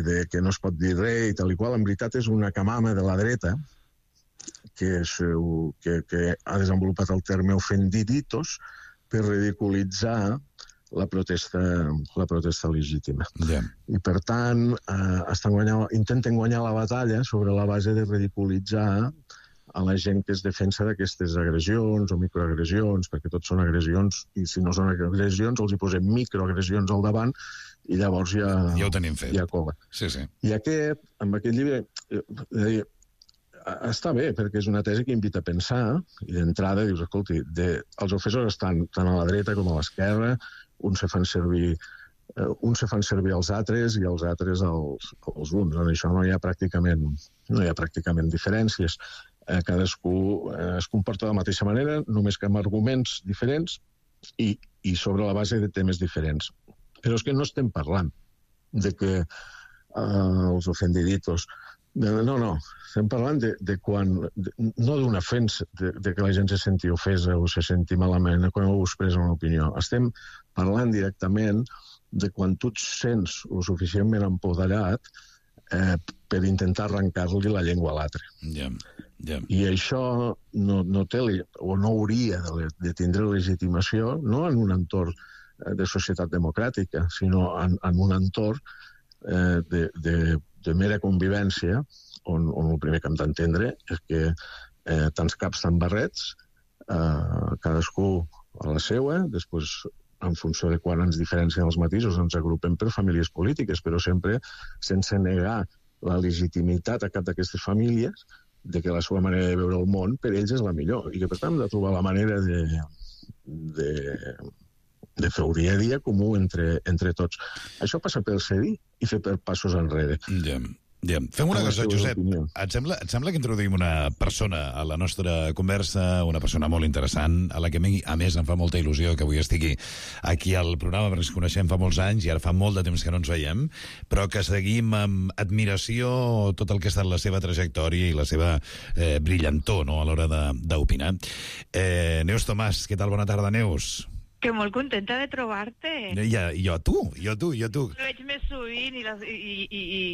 de que no es pot dir res i tal i qual, en veritat és una camama de la dreta que ha desenvolupat el terme Ofendiditos per ridiculitzar la protesta legítima. I, per tant, intenten guanyar la batalla sobre la base de ridiculitzar a la gent que es defensa d'aquestes agressions o microagressions, perquè tot són agressions, i si no són agressions els hi posem microagressions al davant i llavors ja ho tenim fet. Ja cola. Sí. I amb aquest llibre, està bé, perquè és una tesi que invita a pensar, i d'entrada dius, escolti, els ofensors estan tant a la dreta com a l'esquerra, uns se fan servir els altres i els altres els uns. En això no hi ha pràcticament diferències. Cadascú es comporta de la mateixa manera, només que amb arguments diferents i sobre la base de temes diferents. Però és que no estem parlant de que els ofendiditos... No, estem parlant de quan... No d'una ofensa, de que la gent se senti ofesa o se senti malament quan algú expressa una opinió. Estem parlant directament de quan tu et sents o suficientment empoderat per intentar arrencar-li la llengua a l'altre. I això no té o no hauria de tindre legitimació no en un entorn de societat democràtica, sinó en un entorn de mera convivència, on el primer que hem d'entendre és que tants caps, tants barrets, cadascú a la seua, després, en funció de quan ens diferencien els matisos, ens agrupem per famílies polítiques, però sempre sense negar la legitimitat a cap d'aquestes famílies de que la seva manera de veure el món per ells és la millor, i que per tant hem de trobar la manera de fer dia a dia comú entre tots. Això passa per cedir i fer passos enrere. Fem una cosa, Josep. Et sembla que introduïm una persona a la nostra conversa, una persona molt interessant, a la que a més em fa molta il·lusió que avui estigui aquí al programa, perquè ens coneixem fa molts anys i ara fa molt de temps que no ens veiem, però que seguim amb admiració tot el que ha estat la seva trajectòria i la seva brillantor, no?, a l'hora d'opinar. Neus Tomàs, què tal? Bona tarda, Neus. Que molt contenta de trobar-te. Jo a tu. Ho veig més sovint,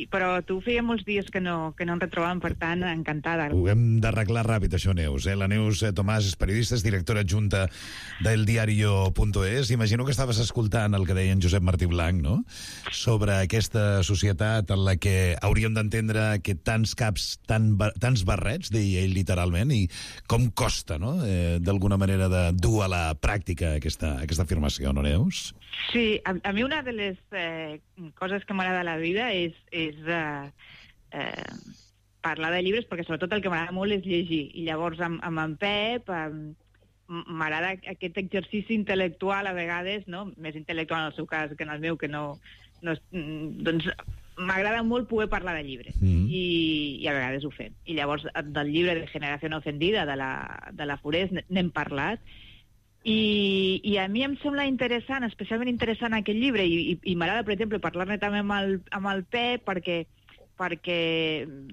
però tu feia molts dies que no ens retrobàvem, per tant, encantada. Ho hem d'arreglar ràpid, això, Neus. La Neus Tomàs és periodista, és directora adjunta del diario.es. Imagino que estaves escoltant el que deia en Josep Martí Blanc, no?, sobre aquesta societat en la que hauríem d'entendre que tants caps, tants barrets, deia ell literalment, i com costa, no?, d'alguna manera de dur a la pràctica aquesta afirmació, no, Neus? Sí, a mi una de les coses que m'agrada a la vida és parlar de llibres, perquè sobretot el que m'agrada molt és llegir. I llavors amb en Pep m'agrada aquest exercici intel·lectual a vegades, no? Més intel·lectual en el seu cas que en el meu, que no doncs m'agrada molt poder parlar de llibres i a vegades ho fem. I llavors del llibre de Generació Ofendida de la Forés n'hem parlat. I a mi em sembla interessant, especialment interessant aquest llibre, i m'agrada, per exemple, parlar-ne també amb el Pep, perquè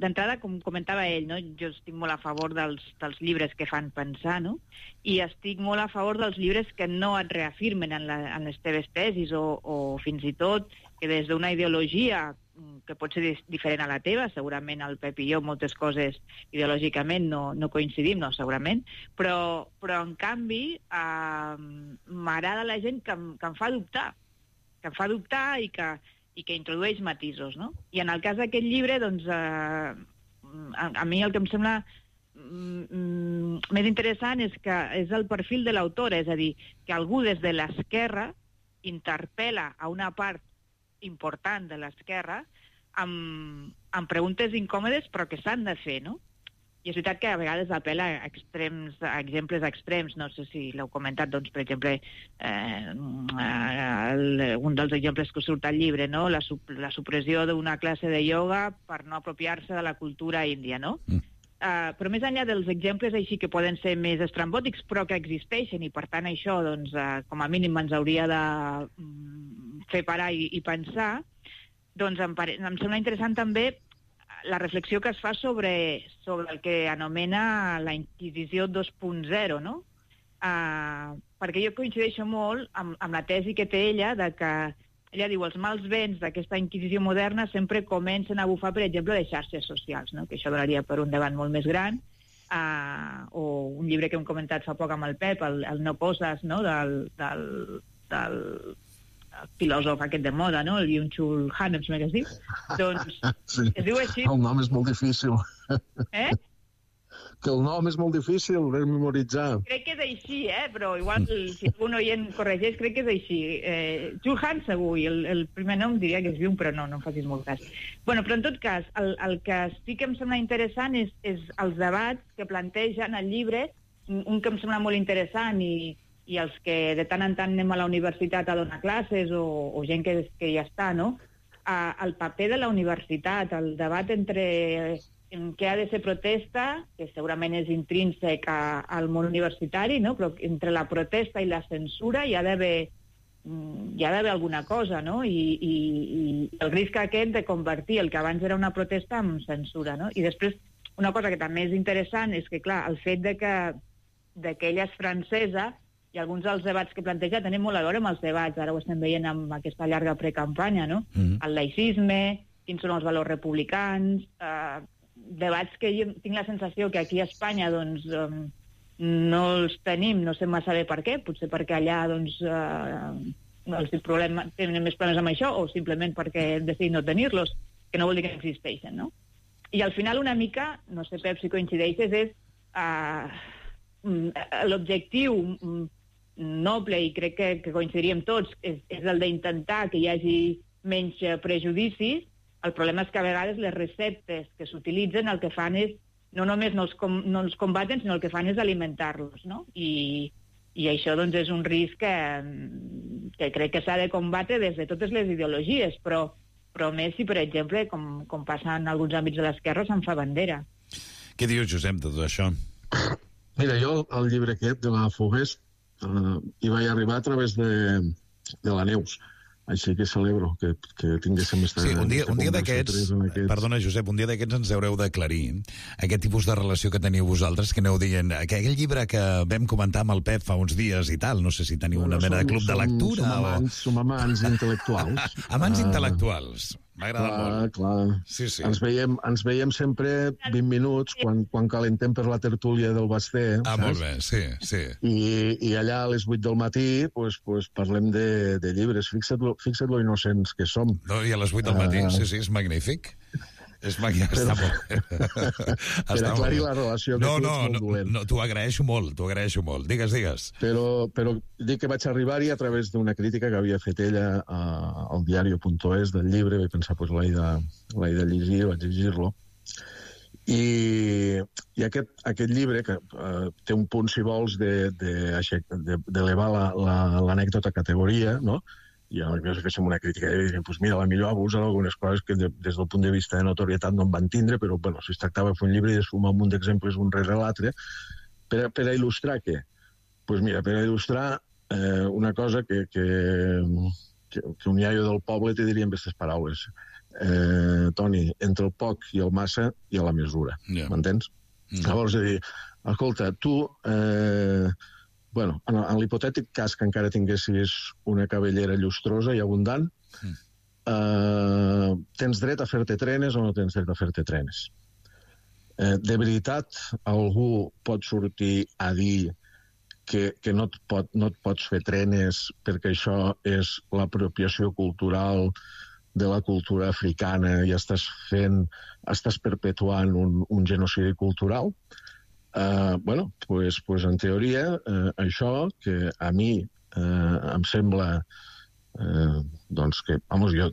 d'entrada, com comentava ell, no?, jo estic molt a favor dels llibres que fan pensar, no?, i estic molt a favor dels llibres que no et reafirmen en les teves tesis o fins i tot que des d'una ideologia que pot ser diferent a la teva, segurament el Pep i jo moltes coses ideològicament no coincidim, no, segurament, però en canvi m'agrada la gent que em fa dubtar i que introdueix matisos, no? I en el cas d'aquest llibre, doncs, a mi el que em sembla més interessant és que és el perfil de l'autora, és a dir, que algú des de l'esquerra interpel·la a una part important de l'esquerra amb preguntes incòmodes però que s'han de fer, no? I és veritat que a vegades apel·la a exemples extrems, no sé si l'heu comentat, doncs, per exemple, un dels exemples que surt al llibre, no?, la supressió d'una classe de ioga per no apropiar-se de la cultura índia, no? Però més enllà dels exemples així que poden ser més estrambòtics, però que existeixen, i per tant això, doncs, com a mínim ens hauria de fer parar i pensar, doncs em sembla interessant també la reflexió que es fa sobre el que anomena la Inquisició 2.0, no? Perquè jo coincideixo molt amb la tesi que té ella, de que ella diu els mals vents d'aquesta Inquisició moderna sempre comencen a bufar, per exemple, les xarxes socials, no? Que això donaria per un debat molt més gran, o un llibre que hem comentat fa poc amb el Pep, el No poses, no? del filòsof aquest de moda, no? El Byung-Chul Han, em sembla que es diu. Doncs sí. Es diu així. El nom és molt difícil. Que el nom és molt difícil de memoritzar. Crec que és així, però igual si algun oient corregeix, crec que és així. Chul Han segur, i el primer nom diria que és Byung, però no em facis molt cas. Bueno, però en tot cas, el que sí que em sembla interessant és els debats que plantegen al llibre, un que em sembla molt interessant i els que de tant en tant anem a la universitat a donar classes o gent que ja està, no? El paper de la universitat, el debat entre en què ha de ser protesta, que segurament és intrínsec al món universitari, no? Però entre la protesta i la censura hi ha d'haver alguna cosa, no? I el risc aquest de convertir el que abans era una protesta en censura, no? I després, una cosa que també és interessant és que, clar, el fet de que ella és francesa i alguns dels debats que planteja tenen molt a veure amb els debats, ara ho estem veient amb aquesta llarga precampanya, no? El laïcisme, quins són els valors republicans, debats que jo tinc la sensació que aquí a Espanya doncs, no els tenim, no sé massa bé per què, potser perquè allà doncs, tenen més problemes amb això o simplement perquè hem decidit no tenir-los, que no vol dir que existeixen, no? I al final una mica, no sé Pep si coincideixes, és l'objectiu noble, i crec que coincidiríem tots, és el d'intentar que hi hagi menys prejudicis. El problema és que a vegades les receptes que s'utilitzen el que fan és, no només no els combaten, sinó el que fan és alimentar-los, no? I això doncs, és un risc que crec que s'ha de combatre des de totes les ideologies, però més si, per exemple, com passa en alguns àmbits de l'esquerra, se'n fa bandera. Què dius, Josep, de tot això? Mira, jo el llibre aquest de la Fogués hi vaig arribar a través de la Neus. Així que celebro que tinguéssim... Sí, un dia d'aquests... Perdona, Josep, un dia d'aquests ens haureu d'aclarir aquest tipus de relació que teniu vosaltres, que aneu dient que aquell llibre que vam comentar amb el Pep fa uns dies i tal, no sé si teniu una mena de club de lectura Som amants intel·lectuals. Amants intel·lectuals. M'agrada molt. Clar. Sí. Ens veiem sempre 20 minuts quan calentem per la tertúlia del Basté. Molt bé, sí. I allà a les 8 del matí pues parlem de llibres. Fixa't lo innocents que som. No, i a les 8 del matí, sí, és magnífic. Està molt bé. Per aclarir la relació que tu ets molt dolent. No, t'ho agraeixo molt. Digues. Però dic que vaig arribar-hi a través d'una crítica que havia fet ella al diario.es del llibre. Vaig pensar, l'he de llegir, vaig llegir-lo. I aquest llibre, que té un punt, si vols, d'elevar l'anècdota categoria, no? I aleshores féssim una crítica i dèiem, mira, la millor abusa d'algunes coses que des del punt de vista de notorietat no en van tindre, però si es tractava de fer un llibre i de sumar un munt d'exemples un rere l'altre, per a il·lustrar què? Doncs mira, per a il·lustrar una cosa que un iaio del poble te diria amb aquestes paraules. Toni, entre el poc i el massa hi ha la mesura, m'entens? Llavors, és a dir, escolta, tu... en l'hipotètic cas que encara tinguessis una cabellera llustrosa i abundant, tens dret a fer-te trenes o no tens dret a fer-te trenes? De veritat, algú pot sortir a dir que no et pots fer trenes perquè això és l'apropiació cultural de la cultura africana i estàs perpetuant un genocidi cultural? Pues en teoria això que a mi em sembla que,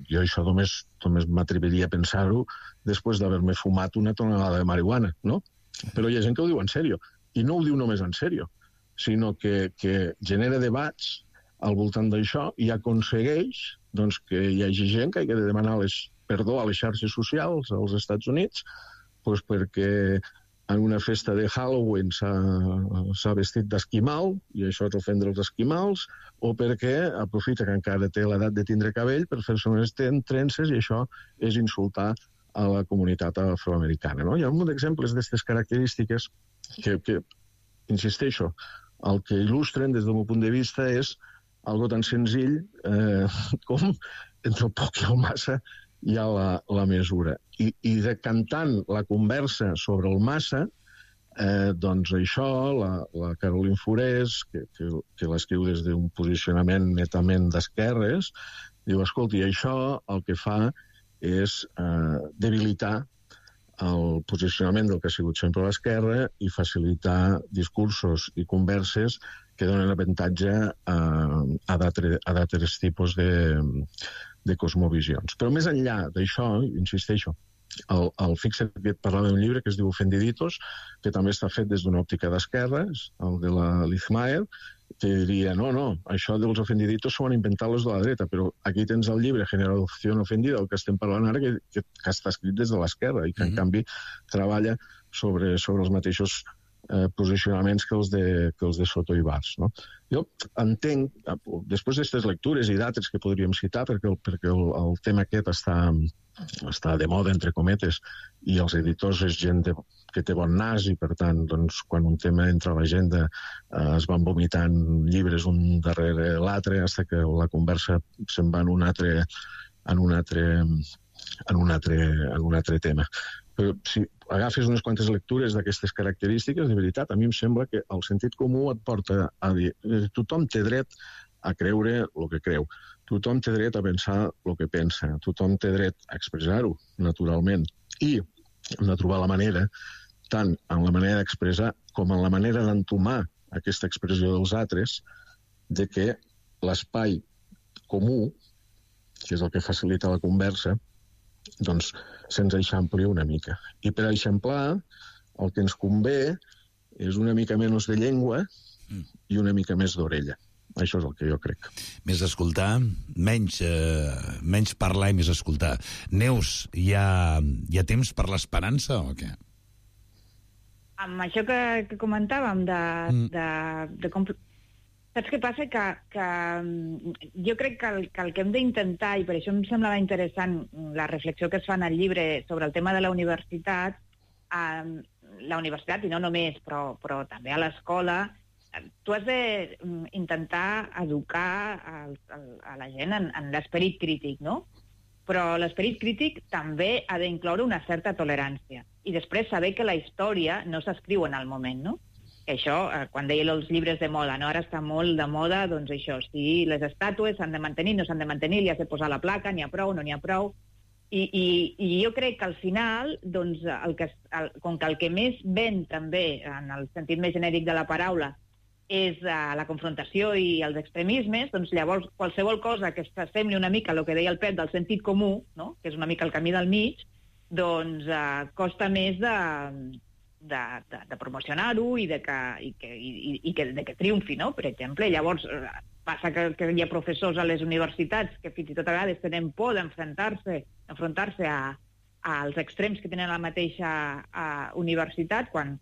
jo això només m'atreviria a pensar-ho després d'haver-me fumat una tonelada de marihuana, no? Però hi ha gent que ho diu en sèrio, i no ho diu només en sèrio, sinó que genera debats al voltant d'això i aconsegueix que hi hagi gent que hagi de demanar perdó a les xarxes socials als Estats Units perquè en una festa de Halloween s'ha vestit d'esquimal, i això és ofendre els esquimals, o perquè aprofita que encara té l'edat de tindre cabell per fer-se unes trences, i això és insultar a la comunitat afroamericana. No? Hi ha un munt d'exemples d'aquestes característiques que, insisteixo, el que il·lustren des del meu punt de vista és algo tan senzill com entre el poc i el massa hi ha la mesura. I decantant la conversa sobre el massa, doncs això, la Caroline Forés, que l'escriu des d'un posicionament netament d'esquerres, diu, escolti, això el que fa és debilitar el posicionament del que ha sigut sempre l'esquerra i facilitar discursos i converses que donen avantatge a d'altres tipus de cosmovisions. Però més enllà d'això, insisteixo, el Fixer parlava d'un llibre que es diu Ofendiditos, que també està fet des d'una òptica d'esquerres, el de la Liz Mayer, que diria, no, això dels ofendiditos s'ho han inventat els de la dreta, però aquí tens el llibre Generación Ofendida, el que estem parlant ara, que està escrit des de l'esquerra i que, en canvi, treballa sobre els mateixos posicionaments que els de Soto i Bars. No? Jo entenc, després d'aquestes lectures i d'altres que podríem citar, perquè el tema aquest està de moda, entre cometes, i els editors és gent que té bon nas, i per tant, doncs, quan un tema entra a l'agenda es van vomitant llibres un darrere l'altre, fins que la conversa se'n va en un altre tema. Però si agafes unes quantes lectures d'aquestes característiques, de veritat, a mi em sembla que el sentit comú et porta a dir tothom té dret a creure el que creu, tothom té dret a pensar el que pensa, tothom té dret a expressar-ho, naturalment, i hem de trobar la manera, tant en la manera d'expressar com en la manera d'entomar aquesta expressió dels altres, de que l'espai comú, que és el que facilita la conversa, doncs se'ns eixampli una mica. I per eixamplar, el que ens convé és una mica menys de llengua i una mica més d'orella. Això és el que jo crec. Més escoltar, menys parlar i més escoltar. Neus, hi ha temps per l'esperança o què? Amb això que comentàvem de com... Saps què passa? Que jo crec que el que hem d'intentar, i per això em semblava interessant la reflexió que es fa en el llibre sobre el tema de la universitat, i no només, però també a l'escola, tu has d'intentar educar a la gent en l'esperit crític, no? Però l'esperit crític també ha d'incloure una certa tolerància. I després saber que la història no s'escriu en el moment, no? Això, quan deia els llibres de moda, no? Ara està molt de moda, doncs això, si les estàtues s'han de mantenir, no s'han de mantenir, li has de posar la placa, n'hi ha prou, no n'hi ha prou. I jo crec que al final, doncs, com que el que més ven també, en el sentit més genèric de la paraula, és la confrontació i els extremismes, doncs llavors qualsevol cosa que s'assembli una mica a el que deia el Pep del sentit comú, no? Que és una mica el camí del mig, doncs costa més de promocionar-ho i que triomfi, no? Per exemple, llavors passa que hi ha professors a les universitats que fins i tot a vegades tenen por d'enfrontar-se als extrems que tenen a la mateixa universitat, quan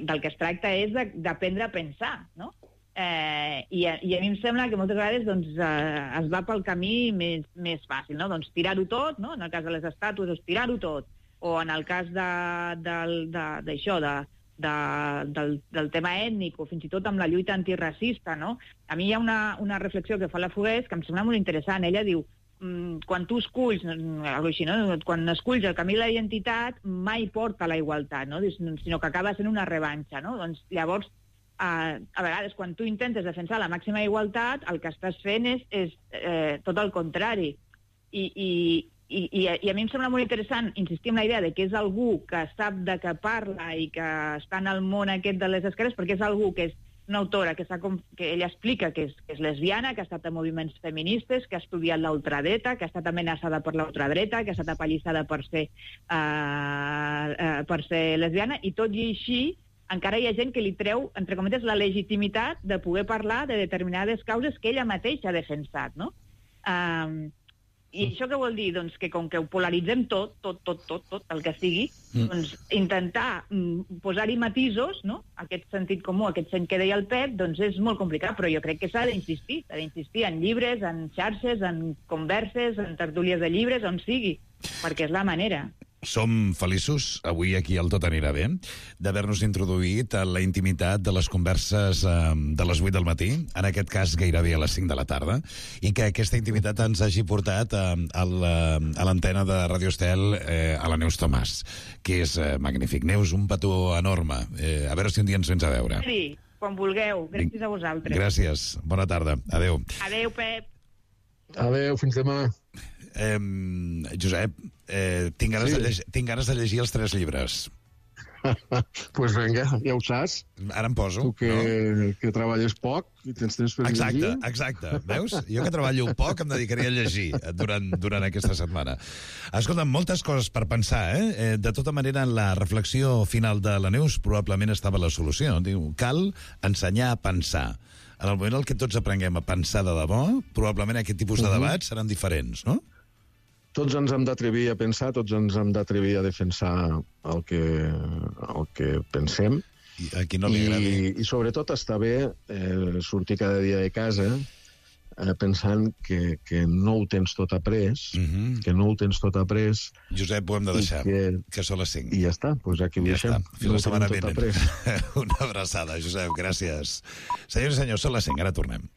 del que es tracta és d'aprendre a pensar, no? I a mi em sembla que moltes vegades doncs, es va pel camí més fàcil, no? Doncs tirar-ho tot, no? En el cas de les estàtues, doncs tirar-ho tot. O en el cas d'això, del tema ètnic, o fins i tot amb la lluita antiracista, no? A mi hi ha una reflexió que fa la Fogués que em sembla molt interessant. Ella diu, quan tu esculls, així, no? Quan esculls el camí de la identitat, mai porta a la igualtat, no? Sinó que acaba sent una revanxa, no? Doncs llavors, a vegades, quan tu intentes defensar la màxima igualtat, el que estàs fent és tot el contrari. I a mi em sembla molt interessant insistir en la idea de que és algú que sap de què parla i que està en el món aquest de les esquerres, perquè és algú que és una autora que ella explica que és lesbiana, que ha estat a moviments feministes, que ha estudiat la ultradreta, que ha estat amenaçada per la ultradreta, que ha estat apallissada per ser lesbiana, i tot i així encara hi ha gent que li treu, entre cometes, la legitimitat de poder parlar de determinades causes que ella mateixa ha defensat, no? I això què vol dir? Doncs que com que ho polaritzem tot, el que sigui, doncs intentar posar-hi matisos, no? Aquest sentit comú, aquest sentit que deia el Pep, doncs és molt complicat, però jo crec que s'ha d'insistir en llibres, en xarxes, en converses, en tertúlies de llibres, on sigui, perquè és la manera. Som feliços, avui aquí al Tot anirà bé, d'haver-nos introduït a la intimitat de les converses de les 8 del matí, en aquest cas gairebé a les 5 de la tarda, i que aquesta intimitat ens hagi portat a l'antena de Radio Estel a la Neus Tomàs, que és magnífic. Neus, un petó enorme. A veure si un dia ens vens a veure. Sí, quan vulgueu. Gràcies a vosaltres. Gràcies. Bona tarda. Adéu. Adéu, Pep. Adéu, fins demà. Josep, tinc ganes de llegir els 3 llibres. Pues vinga, ja ho saps. Ara em poso. Tu que treballes poc i tens temps per llegir. Exacte. Veus? Jo que treballo poc em dedicaré a llegir durant aquesta setmana. Escolta, moltes coses per pensar, De tota manera, en la reflexió final de la Neus probablement estava la solució. Diu, cal ensenyar a pensar. En el moment en què tots aprenguem a pensar de debò, probablement aquest tipus de debats seran diferents, no? Tots ens hem d'atrevir a pensar, tots ens hem d'atrevir a defensar el que pensem. I a qui no li agradi. I sobretot està bé sortir cada dia de casa pensant que no ho tens tot après, Josep, ho hem de deixar, que són les 5. I ja està, doncs aquí ho deixem. Fins la setmana vinent. Una abraçada, Josep, gràcies. Senyors i senyors, són les 5, ara tornem.